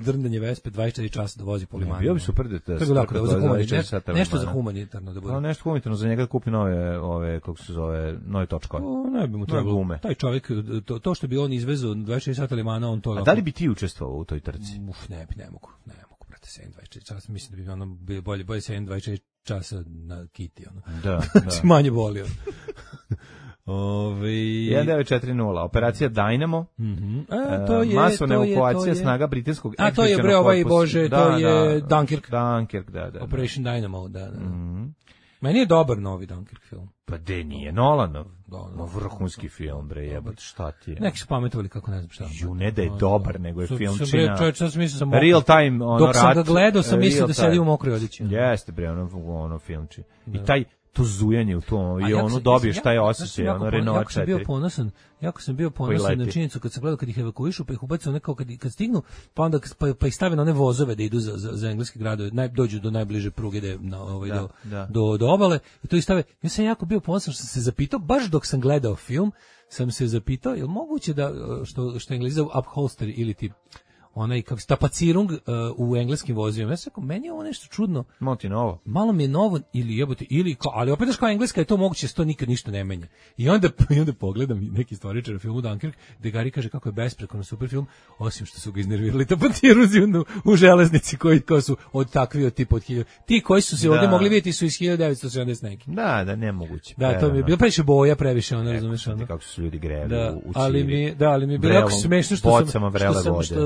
drndanje Vespe 24 časa da vozi po Limanu. Bio bi super nešto za humanitarno da bude. Nešto humanitarno za njega da kupi nove kako se zove, nove točkove. Ne bi mu trebalo. Taj čovjek, to što bi on izvezao 24 sata Limana, on to... A da li bi ti učestvovao u toj trci? Ne mogu, brate, 7-24 časa, mislim da bi ono bolje 7-24 časa na kiti, ono. Da. Manje bolio. 1940, operacija Dynamo, masovna evakuacija snaga britanskog ekspedicionog korpusa. A to je bre ovaj Bože, to je Dunkirk. Da. Operation Dynamo, da. Meni je dobar novi Dunkirk film. Pa de nije Nolanov. Vrhunski film, bre, jebote, šta ti je? Neki su pametovali kako ne znam šta. Ne da je dobar, nego je filmčina. Real time, ono rat. Dok sam ga gledao, sam mislio da sedi u mokroj odjeći. Jeste, bre, ono filmči. I to zujanje u tom i ono dobiješ taj osjećaj, ono Renault 4. Jako sam bio ponosan na činjenicu kad sam gledao kad ih evakuišu, pa ih ubacuju nekao kad stignu, pa onda pa ih stave na one vozove da idu za engleske gradove, dođu do najbliže pruge do obale i to ih stave. Ja sam jako bio ponosan što sam se zapitao, baš dok sam gledao film, sam se zapitao, je li moguće da, što Englezi zovu upholster ili ti onaj kako tapacirung u engleskim vozovima. Ja sam rekao, meni je ovo nešto čudno. Malo mi je novo ili jebote, ali opet daš kao engleska je to moguće, to nikad ništa ne menja. I onda pogledam neki istoričar u filmu Dunkirk, gde Gari kaže kako je besprekorno super film, osim što su ga iznervirali tapacirunzi u železnici koji su od takvi od tipa od 1000. Ti koji su se ovdje mogli vidjeti su iz 1970 neki. Da, nemoguće. Da, to mi je bilo previše boja, previše ono, razumeš ono. Kako su ljudi greli u ali mi je bilo jako smešno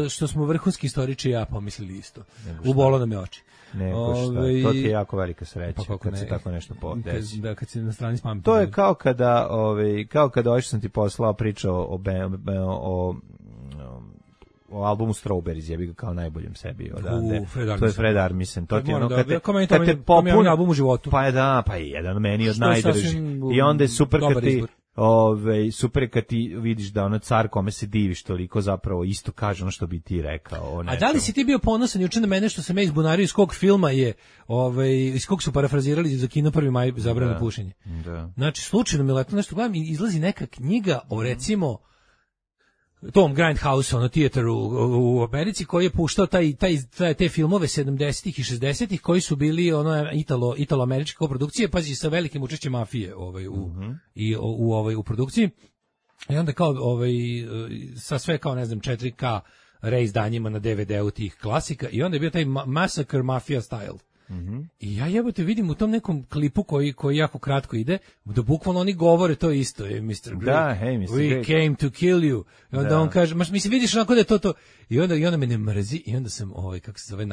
što smo vrhunski istoriči ja pomislili isto. Ubolo nam je oči. To ti je jako velika sreća kad se tako nešto desi. Da, kad se na strani spamiti. To je kao kada što sam ti poslao pričao o albumu Strawberries, jebi ga kao najboljem sebi. To je Fred Armisen. To ti ono kad te popun album u životu. Pa je jedan meni od najdržih. I onda je super kad ti super kad ti vidiš da ono car kome se diviš toliko zapravo isto kaže ono što bi ti rekao. A da li si ti bio ponosan juče na mene što sam ja izbunario iz kog filma je, iz kog su parafrazirali za kino 1. maj zabranu pušenje? Da. Znači, slučajno mi letno nešto gledam i izlazi neka knjiga o recimo Tom Grindhouse, teater u Americi, koji je puštao te filmove 70-ih i 60-ih koji su bili italo-američke koprodukcije, pazi, sa velikim učešćem mafije u produkciji. I onda kao sa sve kao 4K reizdanjima na DVD-u tih klasika i onda je bio taj Massacre Mafia Style. I ja jebote vidim u tom nekom klipu koji jako kratko ide, da bukvalno oni govore to isto, Mr. Greek. Da, hey, Mr. We Greek. came to kill you. I onda on kaže, mislim, vidiš onako da je to. I onda me ne mrzi i onda sam, kako se zove,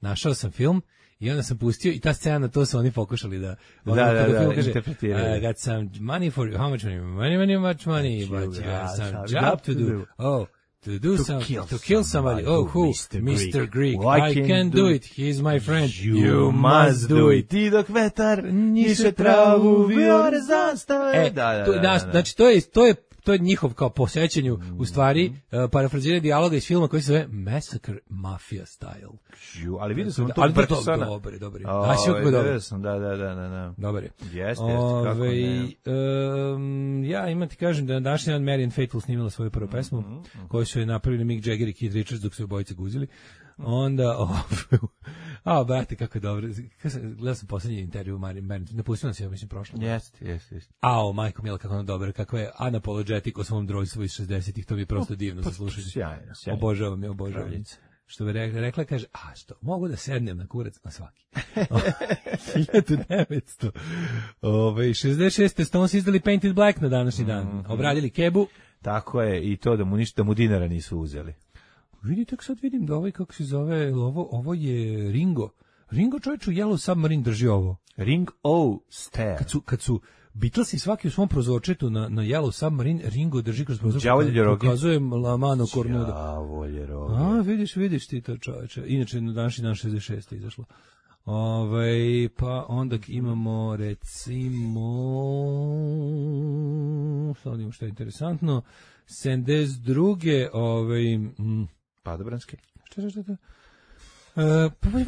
našao sam film. I onda sam pustio i ta scena, to su oni pokušali da interpretiraju. I got some money for you. How much money? Much money. But you have some job to do. Oh, to kill somebody. Oh, who? Mr. Greek. I can do it. He's my friend. You must do it. Ti dok vetar niše travu, viore zastave. Znači, to je njihov kao posjećanju, u stvari, parafraziranje dijaloga iz filma koji se zove Massacre Mafia Style. Ali vidio sam to Bergsona. Dobar. Vidio sam, da. Dobar je. Jeste, kako ne. Ja imam ti kažem da na današnji dan Marianne Faithfull snimila svoju prvu pesmu, koju su je napravili Mick Jagger i Keith Richards dok su obojice guzili. Onda, brate, kako je dobro. Gledao sam posljednji intervju u Marianne, napustila se, ja mislim, prošlo. Jeste. Majko Mila, kako ona dobra, kako je unapologetic o svom drojstvu iz 60-ih, to mi je prosto divno za slušanje. Sjajno. Obožavam. Što bi rekla, kaže, što, mogu da sednem na kurac na svaki. 1900. 66. Stones izdali Painted Black na današnji dan. Obradili kebu. Tako je, i to da mu dinara nisu uzeli. Vidite, sad vidim da kako se zove, ovo je Ringo. Ringo čovječ u Yellow Submarine drži ovo. Ring O Stair. Kad su Beatlesi svaki u svom prozorčetu na Yellow Submarine, Ringo drži kroz prozorčetu. Pokazuje La Mano Cornuda. Đavolje roge. Vidiš ti to, čovječe. Inače, na današnji dan 66. izašlo. Pa onda imamo, recimo, sad imamo što je interesantno, 72. Padobranski. Šta? Pazi,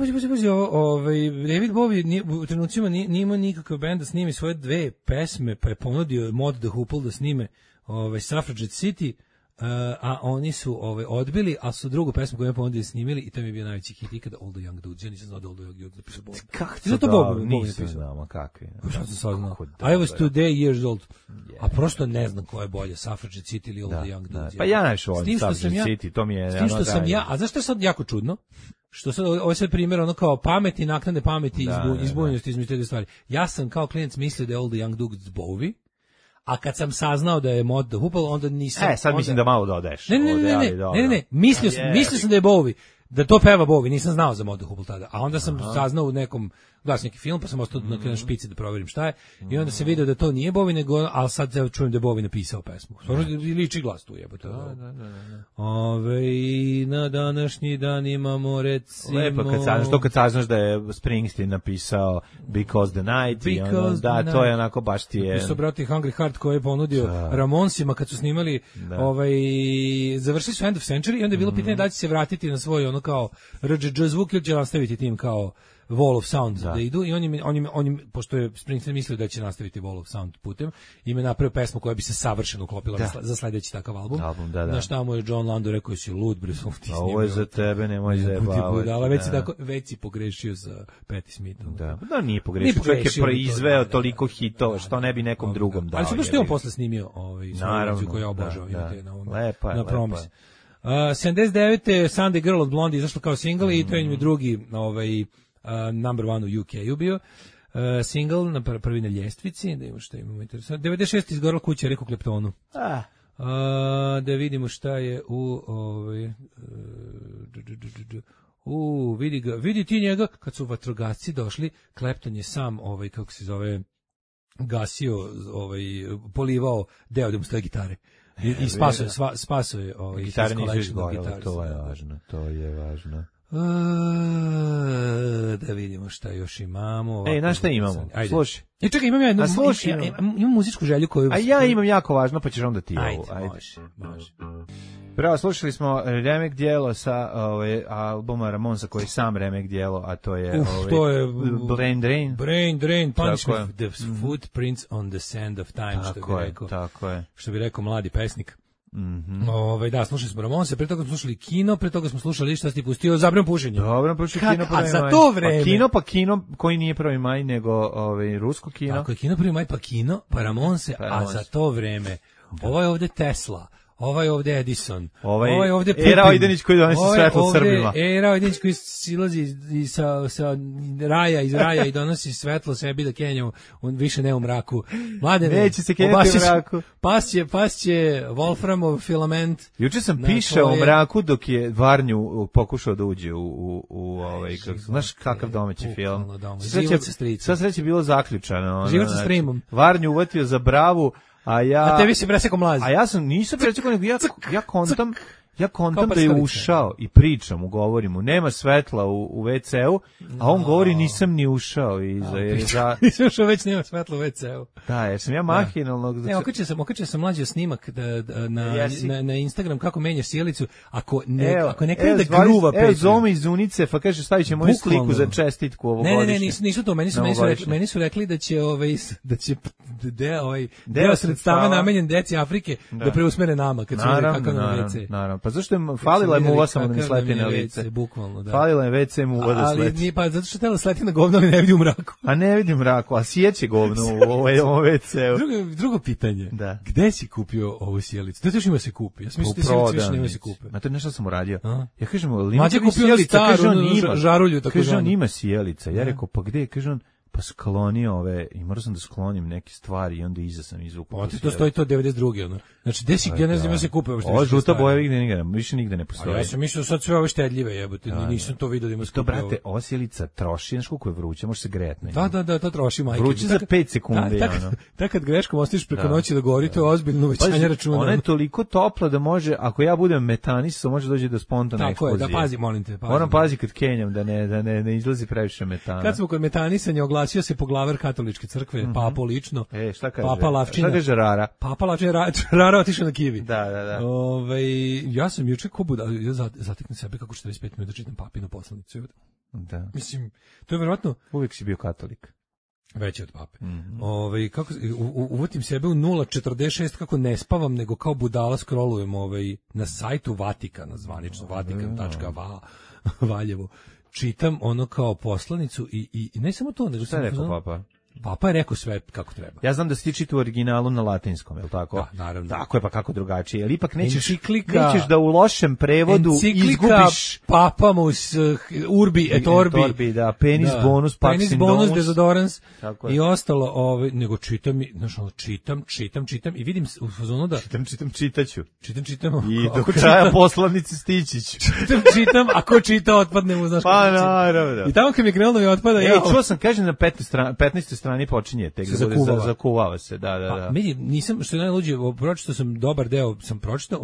David Bowie u trenucima nije imao nikakav band da snimi svoje 2 pesme, pa je ponudio Mod the Hoople da snime Suffragette City, a oni su odbili, a su drugu pesmu koju je ponudio snimili i to mi je bio najveći hit ikada, All the Young Dudes. Ja nisam znao da All the Young Dudes napisao Bowie. Kako to Bowie? Nisam znao, kakvi. Šta sam sad znao? I was 2 years old. A prosto ne znam ko je bolje, Suffragette City ili All the Young Dudes. Pa ja najviše volim Suffragette City, to mi je... S tim što sam ja, a znaš što je sad jako čudno? Što sad, ovo je sve primjer ono kao pameti, naknade pameti i izbunjenosti između te dve stvari. Ja sam kao klijent mislio da je All the Young Dudes Bowie, a kad sam saznao da je Mod the Hoople, onda nisam... sad mislim da malo dodaješ. Ne, mislio sam da je Bowie, da to peva Bowie, nisam znao za Mod the Hoople tada, a onda sam saznao u nekom, gledao neki film, pa sam ostao na špici da proverim šta je, i onda sam vidio da to nije Bowie, nego, ali sad čujem da je Bowie napisao pesmu. Liči glas tu jebote. Na današnji dan imamo, recimo... Lepo, kad saznaš da je Springsteen napisao Because the Night, to je onako baš ti je... Napisao brati Hungry Heart koji je ponudio Ramonsima kad su snimali, završili su End of Century i onda je bilo pitanje da će se vratiti na svoj ono kao RGG zvuk ili će nastaviti tim kao Wall of Sound da idu i on pošto je Springsteen mislio da će nastaviti Wall of Sound putem, im je napravio pesmu koja bi se savršeno uklopila za sledeći takav album. Na šta mu je John Lando rekao si lud bre, ovo je za tebe, nemoj zajebavati. Već si pogrešio sa Patti Smithom. Da, nije pogrešio, čovjek je proizveo toliko hitova, što ne bi nekom drugom dao. Ali što je on posle snimio svoju koju ja obožavam na Promise. 79. Sunday Girl od Blondie izašla kao single i to je drugi number one u UK-u bio single na prvi na ljestvici, da imamo što imamo interesantno. 96. izgorela kuća Eriku Kleptonu. Da vidimo šta je vidi ti njega, kad su vatrogasci došli, Clapton je sam, kako se zove, gasio, polivao deo da mu stoje gitare. I spasao je gitare nisu izgorele, to je važno. Da vidimo šta još imamo. Znaš šta imamo? Slušaj. Čekaj, imam ja imam muzičku želju koju... A ja imam jako važno, pa ćeš onda ti ovo. Ajde. Prvo, slušali smo remek dijelo sa albuma Ramonsa koji je sam remek dijelo, a to je... Brain Drain, Punishment, The Footprints on the Sand of Time, što bi rekao mladi pesnik. Da, slušali smo Ramonse, pre toga smo slušali Kino, pre toga smo slušali šta si ti pustio, Zabran pušenje. Dobro, pušio Kino prvi maj. A za to vreme... Pa Kino koji nije prvi maj, nego rusko Kino. Tako je, Kino prvi maj, pa Kino, pa Ramonse, a za to vreme, ovo je ovde Tesla, ovaj ovde Edison, ovaj ovde Putin, Era Ojdenić koji donosi svetlo Srbima. Era Ojdenić koji silazi sa raja i donosi svetlo sebi da kenja, on više ne u mraku. Mladene, neće se kenjati u mraku. Pasće Wolframov filament. Juče sam pišao u mraku dok je Varnju pokušao da uđe u kako znaš kakav domaći film. Sva sreća bilo zaključano. Život sa streamom. Varnju uvatio za bravu, a tebi se presekao mlazi. A ja nisam presekao, nego ja kontam da je ušao i pričam, govorim mu, nema svetla u WC-u, a on govori nisam ni ušao. Nisam ušao, već nema svetla u WC-u. Da, jer sam ja mahinalno... Ne, okačio sam mlađi snimak na Instagram kako menjaš sjelicu, ako ne krene da gruva peče. Evo Zoma iz Unice, pa kaže stavit će moju sliku za čestitku ovogodišnje. Ne, nisu to, meni su rekli da će deo sredstava namenjen deci Afrike da preusmere nama, kad su vidjeli kako nam WC. Naravno. Pa zašto je falila je muva samo da mi sleti na lice? Bukvalno, da. Falila je WC muva da sleti. Ali nije, pa zato što tela sleti na govno, ali ne vidi u mraku. A ne vidi u mraku, a sijeće govno u ovom WC-u. Drugo pitanje. Da. Gde si kupio ovu sjelicu? Da to još ima se kupi. Ja sam mislio da sjelicu više nema se kupi. Ma to nešto sam uradio. Ja kažem, Mađe kupio staru žarulju. Kaže on ima sjelica. Ja rekao, pa gde? Kaže on, pa sklonio ove, i morao sam da sklonim neke stvari i onda iza sam izvukao. Ti to stoji to 92. ono. Znači, gde si, ja ne znam da se kupe uopšte. Ovo žuta boja više nigde ne postoji. Ja sam mislio sad sve ove štedljive jebote, nisam to vidio da ima skupe. To, brate, ova sjelica troši, znaš koliko je vruće, može se grejati na njoj. Da, to troši, majke. Vruće za 5 sekundi. Tak kad greškom ostaviš preko noći da gori, to je ozbiljno uvećanje računa. Ona je toliko topla da može, ako ja budem metanista, može doći do spontane eksplozije. Tako je, da pazi, molim te. Moram pazi kad kenjam, da ne izlazi previše metana. Kad smo kod metanisanja, oglasio se poglavar katoličke crkve, papo lično. Šta kaže? Papa Lavčina. Šta kaže Rara? Papa Lavčina, Rara otišao na kivi. Da. Ja sam juče ja zateknem sebe kako 45 minuta čitam papinu poslanicu. Da. Mislim, to je verovatno... Uvijek si bio katolik. Veći od pape. Kako uvatim sebe u 0,46 kako ne spavam, nego kao budala scrollujem na sajtu Vatikana, zvanično vatikan.va Valjevo. Čitam ono kao poslanicu i ne samo to, nego sam rekao papa. Papa je rekao sve kako treba. Ja znam da si ti čitao u originalu na latinskom, je li tako? Da, naravno. Tako je, pa kako drugačije. Jer ipak nećeš da u lošem prevodu izgubiš... Papamus urbi et orbi. Da, penis bonus, pax in bonus, desodorans i ostalo. Nego čitam, čitam i vidim u fazonu da... Čitaću. Čitam. I do kraja poslanice stići ću. Čitam, ako čita otpadne mu, znaš kako. Pa naravno. I tamo kad mi krenulo mi otpada... Čuo sam, kažem na 15. strani počinje, tek zakuvava se, da. Nisam, što je najluđe, pročitao sam dobar deo,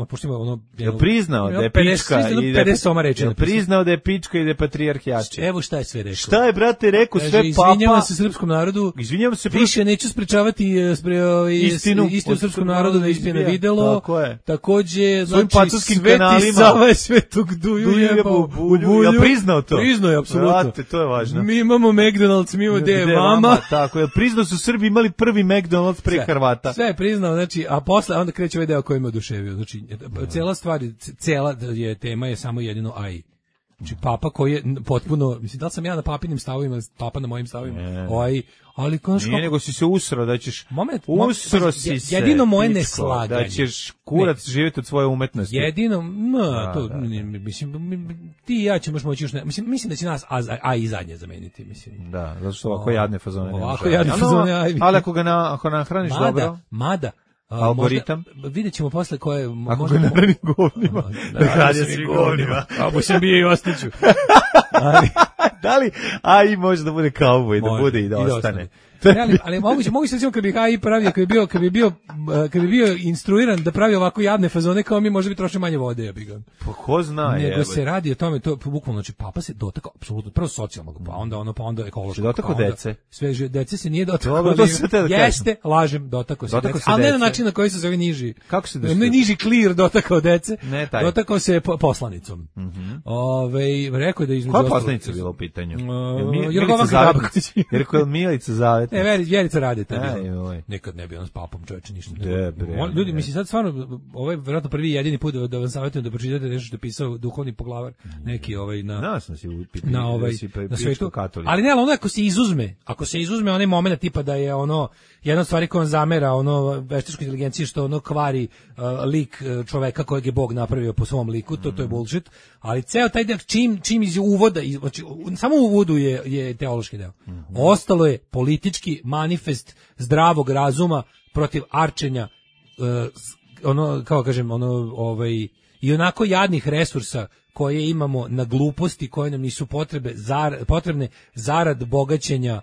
pošto ima ono... Je priznao da je pička i da je pička i da je patrijarhijači. Evo šta je sve rekao. Šta je, brate, rekao sve papa? Izvinjavam se srpskom narodu, više neću sprečavati istinu srpskom narodu da ispije na videlo. Takođe, znači, Sveti Sava je Svetog Duju jebao u bulju. Ja priznao to? Priznao je, apsolutno. To je važno. Mi imamo McDonald's, mi imamo vama. Tako je, priznao su Srbi imali prvi McDonald's pre Hrvata. Sve je priznao, znači, a posle onda kreće ovaj deo koji me oduševio. Znači, cela je tema je samo jedino AI. Znači, papa koji je potpuno, mislim, da li sam ja na papinim stavovima, papa na mojim stavovima, ali konačno... Nije, nego si se usro, da ćeš... Usro si se, jedino moje neslaganje. Da ćeš kurac živjeti od svoje umetnosti. Jedino, mislim, ti i ja ćemo moći još ne... Mislim da će nas AI zadnje zameniti, mislim. Da, zato što ovako jadne fazone ne može. Ovako jadne fazone AI. Ali ako nahraniš dobro... Mada, algoritam. Vidjet ćemo posle koje... Ako ga nahranim govnima. Da hranim svi govnima. Ako sam bio i ostaću. Da li AI može da bude kauboj, da bude i da ostane? Ali mogu se recimo kad bi AI pravio, kad bi bio instruiran da pravi ovako jadne fazone kao mi, možda bi trošio manje vode, ja bih ga. Pa ko zna, nego se radi o tome, to bukvalno, znači papa se dotakao apsolutno prvo socijalnog, pa onda ekološkog. Dotakao dece. Sve dece se nije dotakao. Jeste, lažem, rekao se dece. Ali ne na način na koji se zove niži. Kako se ne niži clear dotakao dece. Dotakao se poslanicom. Rekao da između koja poslanica bila u pitanju? Jer Milica Vjerica Radeta nekad ne bi on s papom čoveče ništa. Ljudi, mislim sad stvarno, ovo je vjerojatno prvi jedini put da vam savjetujem da pročitate nešto što je pisao duhovni poglavar, neki na svetu. Ali ne, ono ako se izuzme onaj moment tipa da je ono jedna od stvari koja on zamera veštačkoj inteligenciji što ono kvari lik čoveka kojeg je Bog napravio po svom liku, to je bullshit, ali ceo taj deo čim iz uvoda, znači samo u uvodu je teološki deo. Ostalo je politički manifest zdravog razuma protiv arčenja i onako jadnih resursa koje imamo na gluposti koje nam nisu potrebne zarad bogaćenja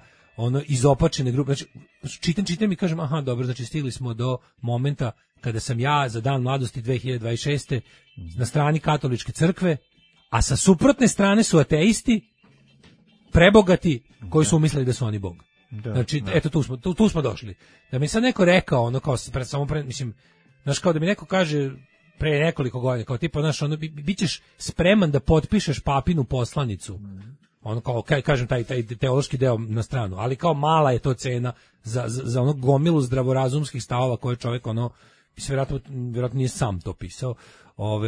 izopačene grupe. Znači, čitam i kažem, aha, dobro, znači stigli smo do momenta kada sam ja za dan mladosti 2026. na strani katoličke crkve, a sa suprotne strane su ateisti, prebogati, koji su umislili da su oni Bog. Znači, eto, tu smo došli. Da mi sad neko rekao, mislim, znaš, kao da mi neko kaže pre nekoliko godina, kao tipa, znaš, bit ćeš spreman da potpišeš papinu poslanicu, kao, kažem, taj teološki deo na stranu, ali kao mala je to cena za ono gomilu zdravorazumskih stavova koje čovjek, mislim, vjerojatno nije sam to pisao,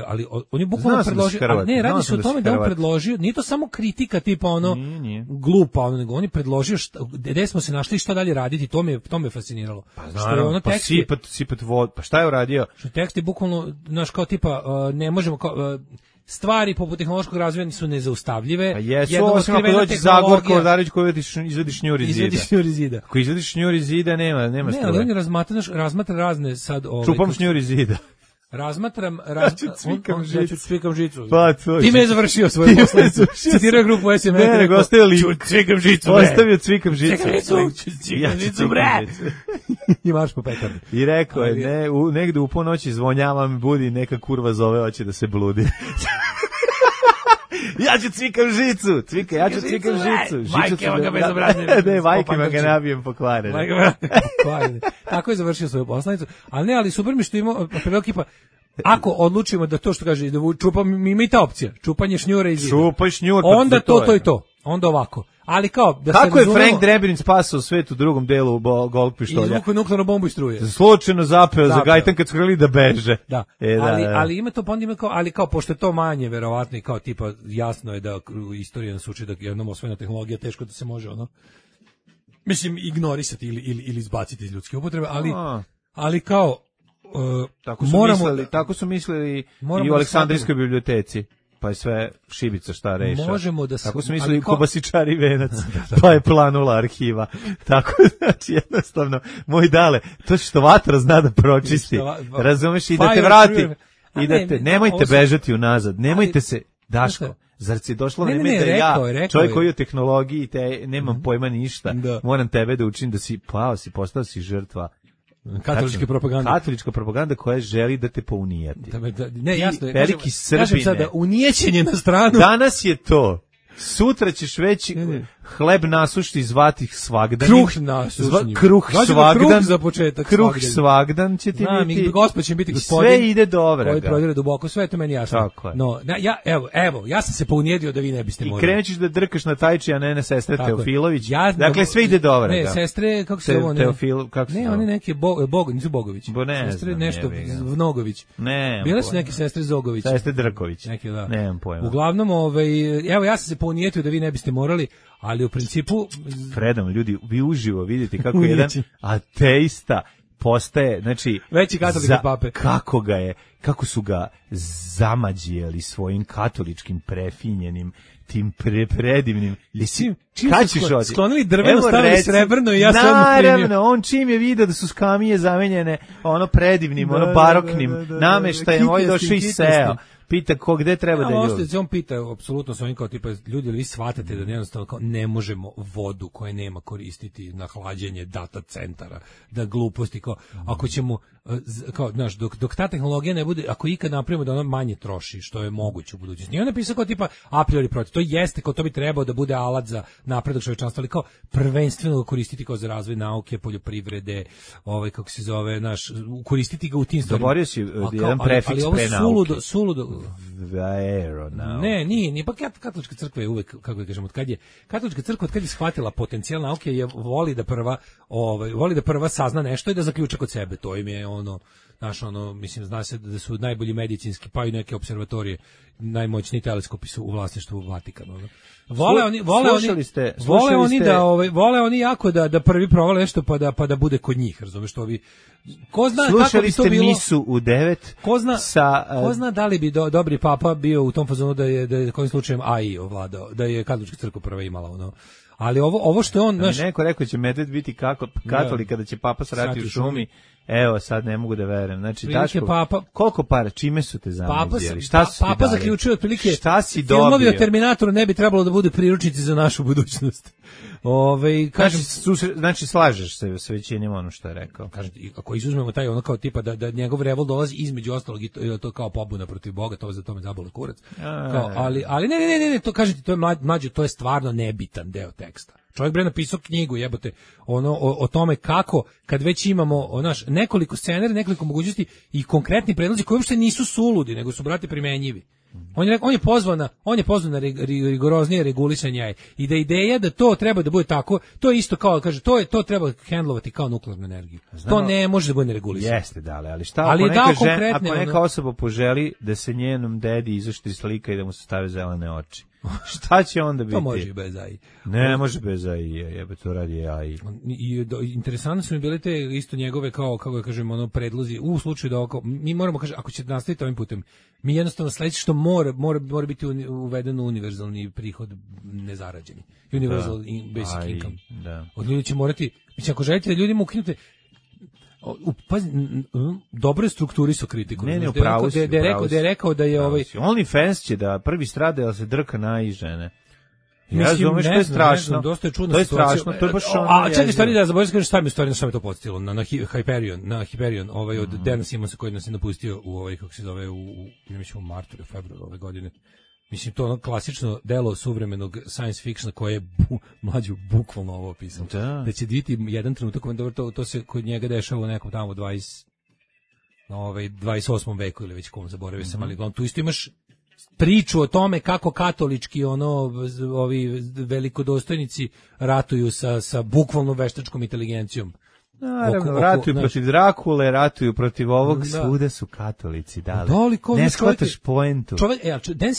ali on je bukvalno predložio, ne, radi se o tome da on predložio, nije to samo kritika tipa glupa, nego on je predložio gde smo se našli i šta dalje raditi, to me fasciniralo. Pa znaram, sipat vod, pa šta je uradio? Što tekst je bukvalno, znaš, kao tipa, ne možemo, stvari poput tehnološkog razvoja su nezaustavljive. Pa jesu, osim ako dođe Zagorko Odarić koji izvedi šnjur iz zida. Ako izvediš šnjur iz zida, nema ne, ali on razmatra razne sad... Čupam šnjur iz zida. Razmatram... Cvikam žicu. Pa, ti me je završio svoju poslanicu. Citirao grupu SM. Ne, nego ostavio lik. Cvikam žicu, bre. Ostavio cvikam žicu. Cvikam žicu, bre. I marš po petarni. I rekao je, negde u ponoći zvonjavam, budi, neka kurva zove, hoće da se bludi. Ja ću cvikam žicu, ja ću cvikam žicu. Majkema ga bezobrazne. Ne, majkema ga nabijem pokvarene. Tako je završio svoju poslanicu. Ali super mi što imao predlog kipa, ako odlučimo da to što kaže, da čupam, ima i ta opcija, čupanje šnjura iz zida. Čupaj šnjur. Onda to je to. Onda ovako. Ali kao da kako je Frank Drebin spasao svet u drugom delu golf pištolja? Izvukao nuklearnu bombu i struje. Slučajno zapeo za gajtan kad su htjeli da beže. Da. Ali ima to, pa onda ima kao, ali kao pošto je to manje verovatno i kao tipa jasno je da istorija nas uči da jednom osvojena tehnologija teško da se može mislim ignorisati ili izbaciti iz ljudske upotrebe, ali kao tako su mislili i u Aleksandrijskoj biblioteci. Pa je sve šibica šta reša. Možemo da tako su mislili Kobasičari venac, pa je planula arhiva. Tako, znači, jednostavno, moj dale, to što vatra zna da pročisti, razumeš, i da te vrati, nemojte bežati unazad, nemojte se, Daško, zar si došlo vreme da ja, čovjek koji je u tehnologiji, nemam pojma ništa, moram tebe da učim da si postao si žrtva katolička propaganda koja želi da te pounijati. Ne, jasno je. Veliki Srbine. Kažem sada, unijećenje na stranu. Danas je to. Sutra ćeš već hleb nasušti zvati svagdan. Kruh svagdan. Kruh za početak. Kruh svagdan će ti biti. Gospod će biti gospodin. Sve ide dobro. Koji prodire duboko, sve je to meni jasno. Tako je. No, ja sam se pounijedio da vi ne biste morali. I krenućeš da drkaš na Tajči, a ne na sestre Teofilović. Dakle, sve ide dobro. Ne, sestre, kako se ovo? Teofil, kako se? Ne, oni neki nisu Bogović. Sestre nešto Vnogović. Ne. Bile su neke sestre Zogović. Sestre Drković. Neki, da. Nemam pojma. Uglavnom, evo ja sam se pounijetio da vi ne biste morali, ali u principu... Fredom, ljudi, vi uživo vidite kako jedan ateista postaje, znači... Veći katolik od pape. Kako su ga zamađijeli svojim katoličkim prefinjenim, tim predivnim... Sklonili drveno, stavili srebrno i ja sam odmah primio. Naravno, on čim je vidio da su skamije zamenjene predivnim, baroknim nameštajem, ovaj došao i seo. Pita gde treba da ljudi. On pita apsolutno svojim kao tipa ljudi, vi shvatate da jednostavno kao ne možemo vodu koja nema koristiti na hlađenje data centara, da gluposti kao ako ćemo kao znaš dok ta tehnologija ne bude, ako ikad napravimo da ona manje troši, što je moguće u budućnosti. I on napisao kao tipa a priori protiv. To jeste kao to bi trebao da bude alat za napredak čovečanstva, ali kao prvenstveno ga koristiti kao za razvoj nauke, poljoprivrede, kako se zove, koristiti ga u tim stvarima. Doborio si jedan prefiks pre nauke. Suludo, Ne, nije pa katolička crkva je uvek, kako da kažem, katolička crkva od kad je shvatila potencijal nauke je voli da prva sazna nešto i da zaključa kod sebe, to im je mislim, zna se da su najbolji medicinski, pa i neke observatorije, najmoćniji teleskopi su u vlasništvu Vatikana. Vole oni jako da prvi provale nešto pa da bude kod njih, razumeš, što bi ko zna kako bi to bilo. Slušali ste misu u 9. Ko zna da li bi dobri papa bio u tom fazonu da je kojim slučajem AI ovladao, da je katolička crkva prva imala Ali ovo što je on, neko rekao će medved biti katolik kada će papa srati u šumi. Evo, sad ne mogu da verujem. Znači, Daško, koliko para, čime su te zamizjeli? Papa zaključuje otprilike, filmovi o Terminatoru ne bi trebalo da budu priručnici za našu budućnost. Znači, slažeš se s većinom ono što je rekao. Ako izuzmemo taj kao tipa da njegov revol dolazi između ostalog i to kao pobuna protiv Boga, to za tome zabole kurac. Ali ne, to kažete, to je mlađe, to je stvarno nebitan deo teksta. Čovjek bre napisao knjigu, jebote, o tome kako, kad već imamo nekoliko scenarija, nekoliko mogućnosti i konkretni predlozi koji uopšte nisu suludi, nego su, brate, primenjivi. On je pozvan na rigoroznije regulisanje i da ideja da to treba da bude tako, to je isto kao, kaže, to treba hendlovati kao nuklearnu energiju. To ne može da bude neregulisano. Jeste, ali šta ako neka osoba poželi da se njenom dedi izoštri slika i da mu se stave zelene oči? Šta će onda biti? To može i bez AI. Ne može bez AI, jebe, to radi AI. Interesantno su mi bile te isto njegove, kao, kako da kažem, predlozi, u slučaju da mi moramo, kaže, ako će nastaviti ovim putem, mi jednostavno sledeće što mora biti uveden univerzalni prihod nezarađeni. Universal basic income. Od ljudi će morati, mislim, ako želite da ljudima ukinute, dobro je strukturisu kritiku. Ne, upravo si. Da je rekao da je OnlyFans će da prvi strade, da se drka na žene. Ja razumeš, to je strašno. Dosta je čudno. To je strašno, to je baš ono. A čekaj, stvari da zaboravim kažem šta me to podsjetilo na Hyperion, od Dana Simonsa koji nas je napustio u kako se zove u martu ili februaru ove godine. Mislim, to klasično delo suvremenog science fictiona koje je mlađu bukvalno ovo opisano. Da će biti jedan trenutak, to se kod njega dešava u nekom tamo 28. veku ili već kom zaboravio sam, ali tu isto imaš priču o tome kako katolički ovi velikodostojnici ratuju sa bukvalno veštačkom inteligencijom. Naravno, ratuju protiv Drakule, ratuju protiv ovog, svuda su katolici, ne shvataš poentu. Dan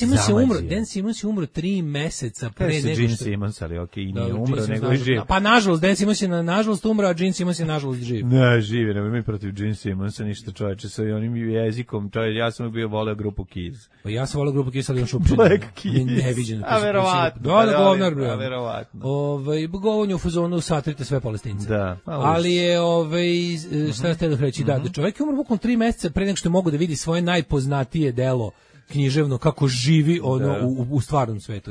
Simmons je umro 3 meseca pre nego što... Gene Simmons, ali i nije umro, nego je živ. Pa nažalost, Dan Simmons je nažalost umro, a Gene Simmons je nažalost živ. Ne, živi, nema mi protiv Gene Simmonsa ništa, čoveče, sa onim jezikom, ja sam bio voleo grupu Kiss. Pa ja sam voleo grupu Kiss, ali on šupčin. Black Kiss. Neviđeno. A verovatno. A verovatno. Govonju u fazonu satrite sve Palestince. Da. Ali je šta ste da reći, da čovjek je umro bukvalno 3 meseca pre nego što mogu da vidi svoje najpoznatije delo književno kako živi u stvarnom svetu.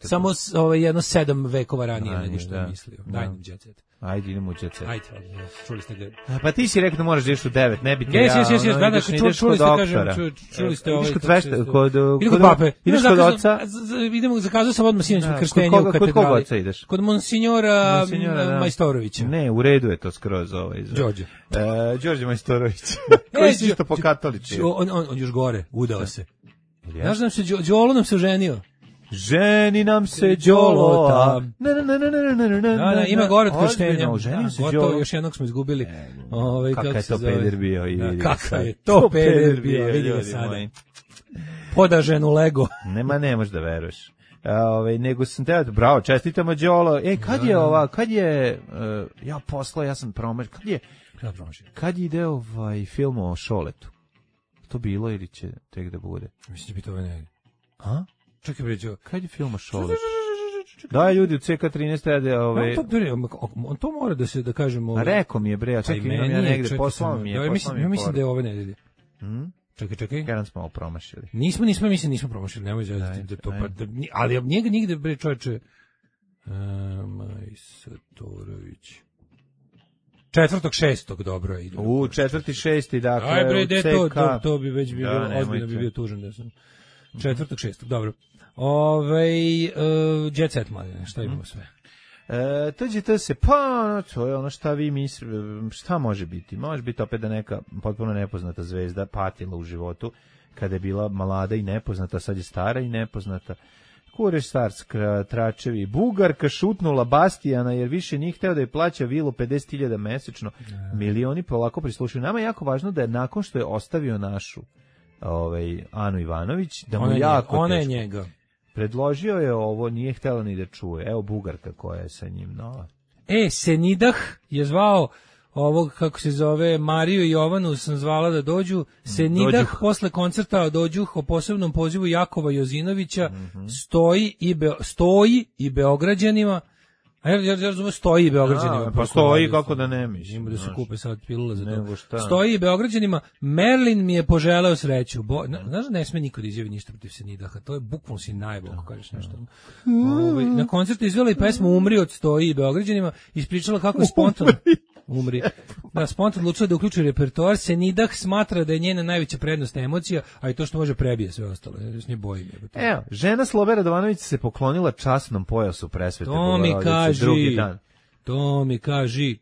Samo jedno 7 vekova ranije nego što je mislio. Daj nam Jet Set. Ajde, idemo u Jet Set. Ajde, čuli ste ga. Pa ti si rekao da moraš da ideš u 9, ne bi ti čuli ste kod pape. Ideš kod oca. Idemo, zakazao sam odmah sinoć krštenje u katedrali. Kod koga oca ideš? Kod monsignora Majstorovića. Ne, u redu je to skroz Đorđe. Đorđe Majstorović. Koji si isto pokatoličio. On još gore, udao se. Znaš nam se, Đolo nam se oženio. Ženi nam se Đolota. Ima gore od krštenja. Gotovo, još jednog smo izgubili. Kakav je to peder bio. Kakav je to peder bio, vidi ga sada. Podažen u Lego. Ne možeš da veruješ. Nego sam teo, bravo, čestitamo Đolo. Kad je, ja sam promašio, kad je ide film o Šoletu? To bilo ili će tek da bude? Mislim da bi to ne. A? Čekaj bređo. Kad je film o Šoletu? Da, ljudi u CK13 rade on to mora da se, da kažemo... A rekao mi je bre, čekaj, imam ja negde, poslao mi je. Ja mislim da je ove nedelje. Čekaj. Kada smo ovo promašili? Nismo promašili, nemoj zazati. Ali njega nigde, bre, čovječe... Majstorović... 4.6. dobro je. 4.6. dakle... Aj bre, to bi već bilo, ozbiljno bi bio tužan da sam... 4.6. dobro. Jet Set, mladine, šta imamo sve? TGT se, pa, to je ono šta vi mislite, šta može biti? Može biti opet da neka potpuno nepoznata zvezda patila u životu, kada je bila mlada i nepoznata, sad je stara i nepoznata. Kureš Starska, Tračevi, Bugarka šutnula Bastijana jer više nije hteo da je plaća vilu 50.000 mesečno. Milioni polako prislušuju. Nama je jako važno da je nakon što je ostavio našu Anu Ivanović, da mu jako ona je njega. Predložio je ovo, nije htela ni da čuje. Evo Bugarka koja je sa njim nova. Senidah je zvao ovog, kako se zove, Mariju i Jovanu sam zvala da dođu. Senidah posle koncerta dođuh o posebnom pozivu Jakova Jozinovića, stoji i Beograđanima. A ja razumem, stoji i Beograđanima. Pa stoji kako da ne misli. Ima da se kupe sad pilula za to. Stoji i Beograđanima. Merlin mi je poželeo sreću. Znaš da ne sme niko da izjavi ništa protiv Senidaha. To je bukvalno si najbolj, ako kažeš nešto. Na koncertu izvela i pesmu Umri od Stoji i Beograđanima. Ispričala kako je spontano. Umri. Da, spontano odlučila da uključi repertoar. Senidah smatra da je njena najveća prednost emocija, a i to što može prebije sve ostalo. Ja se nje bojim. Evo, žena Slobe Radovanović se poklonila časnom pojasu presvete. To mi kaži. Drugi dan. To mi kaži.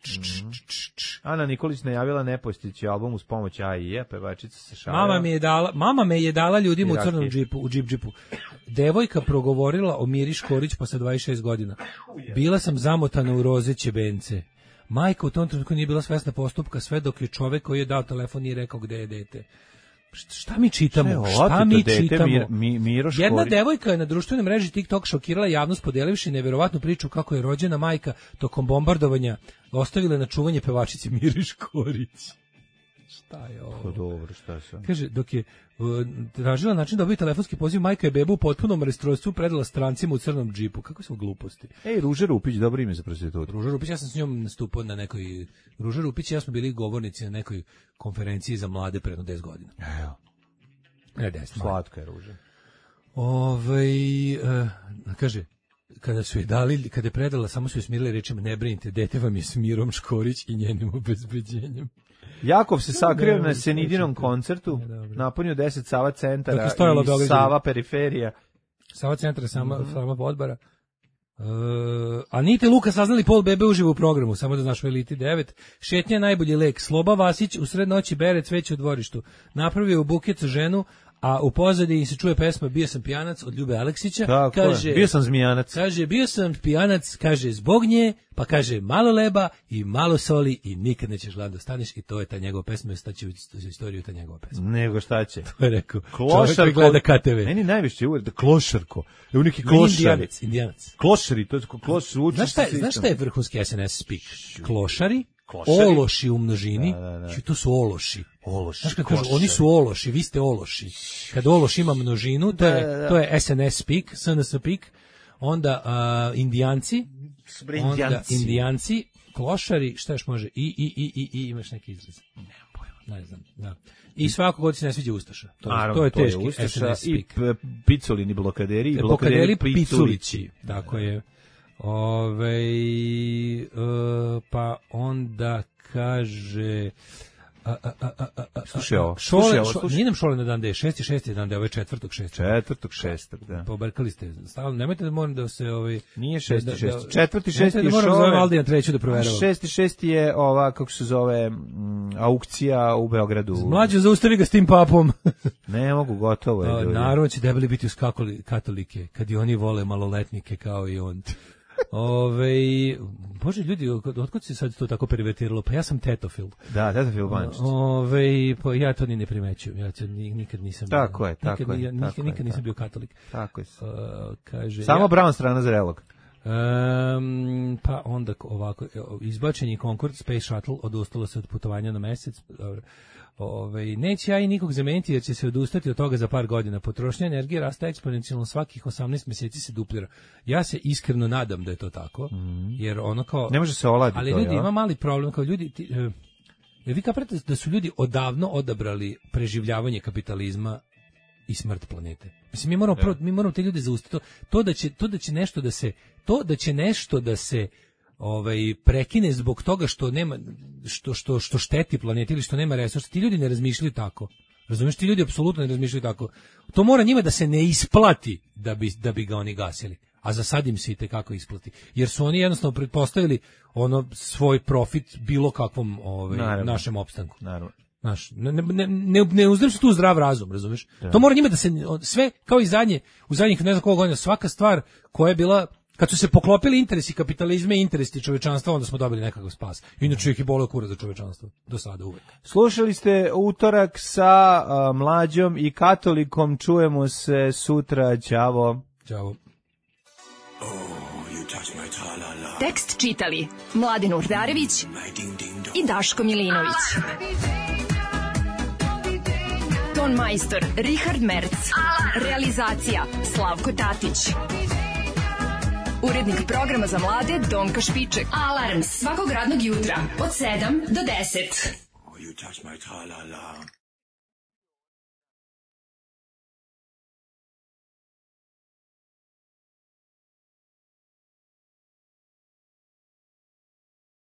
Ana Nikolić najavila nepostići album uz pomoć AIE, pevačica se šalila. Mama me je dala ljudima u crnom džipu, u džipu. Devojka progovorila o Miri Škorić posle 26 godina. Bila sam zamotana u rozeće bence. Majka u tom trenutku nije bila svesna postupka sve dok je čovek koji je dao telefon nije rekao gde je dete. Šta mi čitamo? Jedna devojka je na društvenoj mreži TikTok šokirala javnost podelivši neverovatnu priču kako je rođena majka tokom bombardovanja ostavila na čuvanje pevačici Miri Škorić. Šta je ovo? Dobro, šta sam? Kaže, dok je tražila način da dobije telefonski poziv, majka je bebu u potpunom rastrojstvu predala strancima u crnom džipu. Kako su gluposti? Ruža Rupić, dobro ime za prostitutu. Ruža Rupić, ja sam s njom nastupao na nekoj... Ruža Rupić i ja smo bili govornici na nekoj konferenciji za mlade pre 10 godina. Evo. Ne, 10. Slatka je Ruža. Kaže, kada su je dali, kada je predala, samo su je smirili rečima, ne brinite, dete vam je s Mirom Škorić i njenim obezbeđenjem. Jakov se sakrio na Senidinom koncertu, napunio 10 Sava centara i Sava periferija. Sava centara, sama podbara. Anita i Luka saznali pol bebe uživo u programu, samo da znaš u Eliti 9. Šetnja je najbolji lek. Sloba Vasić u sred noći bere cveće u dvorištu. Napravio u buket za ženu, a u pozadini se čuje pesma Bio sam pijanac od Ljube Aleksića. Tako, kaže, bio sam zmijanac. Kaže, bio sam pijanac, kaže, zbog nje, pa kaže, malo leba i malo soli i nikad nećeš gladno staneš i to je ta njegova pesma i staće u istoriju ta njegova pesma. Nego šta će? To je rekao. Čovjek koji gleda KTV. Meni najviše uvijek da klošarko. Evo neki klošari. Indijanac. Klošari, to je klošari. Znaš šta je vrhunski SNS speak? Klošari. Ološi u množini, to su ološi. Znaš kad kažu, oni su ološi, vi ste ološi. Kad ološ ima množinu, to je SNS speak, SNS speak, onda indijanci, klošari, šta još može, imaš neki izraz. Nemam pojma, ne znam, da. I svako god se ne sviđa ustaša. To je teški SNS speak. I picolini blokaderi, i blokaderi piculići. Tako je. Pa onda kaže slušaj ovo. Nije nam šole na dan da je 6. dan da je 4.6. 4.6. da. Pobrkali ste. Stalno nemojte da moram da se nije 6.6. 4.6 je moram zove Valdija treću da proveravam. 6.6 je ova kako se zove aukcija u Beogradu. Mlađe zaustavi ga s tim papom. Ne mogu, gotovo je. Naravno će debeli biti uz katolike kad i oni vole maloletnike kao i on. Bože ljudi, otkud se sad to tako pervertiralo? Pa ja sam tetofil. Da, tetofil bančić. Pa ja to ni ne primećujem. Ja nikad nisam. Tako je. Nikad nisam bio katolik. Tako je. Kaže samo brown strana zrelog. Pa onda ovako, izbačen je Concorde Space Shuttle, odustalo se od putovanja na mesec. Dobro. Neće ja i nikog zameniti jer će se odustati od toga za par godina. Potrošnja energije raste eksponencijalno, svakih 18 mjeseci se duplira. Ja se iskreno nadam da je to tako, jer ono kao... Ne može se oladiti. Ali ljudi, ima mali problem, kao ljudi... Jer vi kaprate da su ljudi odavno odabrali preživljavanje kapitalizma i smrt planete. Mislim, mi moramo te ljude zaustaviti. To da će nešto da se prekine zbog toga što nema što šteti planeti ili što nema resursa. Ti ljudi ne razmišljaju tako. Razumiješ, ti ljudi apsolutno ne razmišljaju tako. To mora njima da se ne isplati da bi ga oni gasili. A za sad im se i tekako isplati. Jer su oni jednostavno pretpostavili svoj profit bilo kakvom našem opstanku. Naravno. Znaš, ne uzdrži se tu zdrav razum, razumeš? Da. To mora njima da se, sve, kao i u zadnjih ne znam koliko godina, svaka stvar koja je bila, kad su se poklopili interesi kapitalizma i interesi čovečanstva, onda smo dobili nekakav spas. Inače ih je boleo kurac za čovečanstvo, do sada uvek. Slušali ste Utorak sa Mlađom i Katolikom, čujemo se sutra, ćavo. Ćavo. Tekst čitali Mladin Urdarević i Daško Milinović. Ton majstor Richard Merc. Realizacija Slavko Tatić. Urednik programa za mlade Donka Špiček. Alarms svakog radnog jutra od 7 do 10.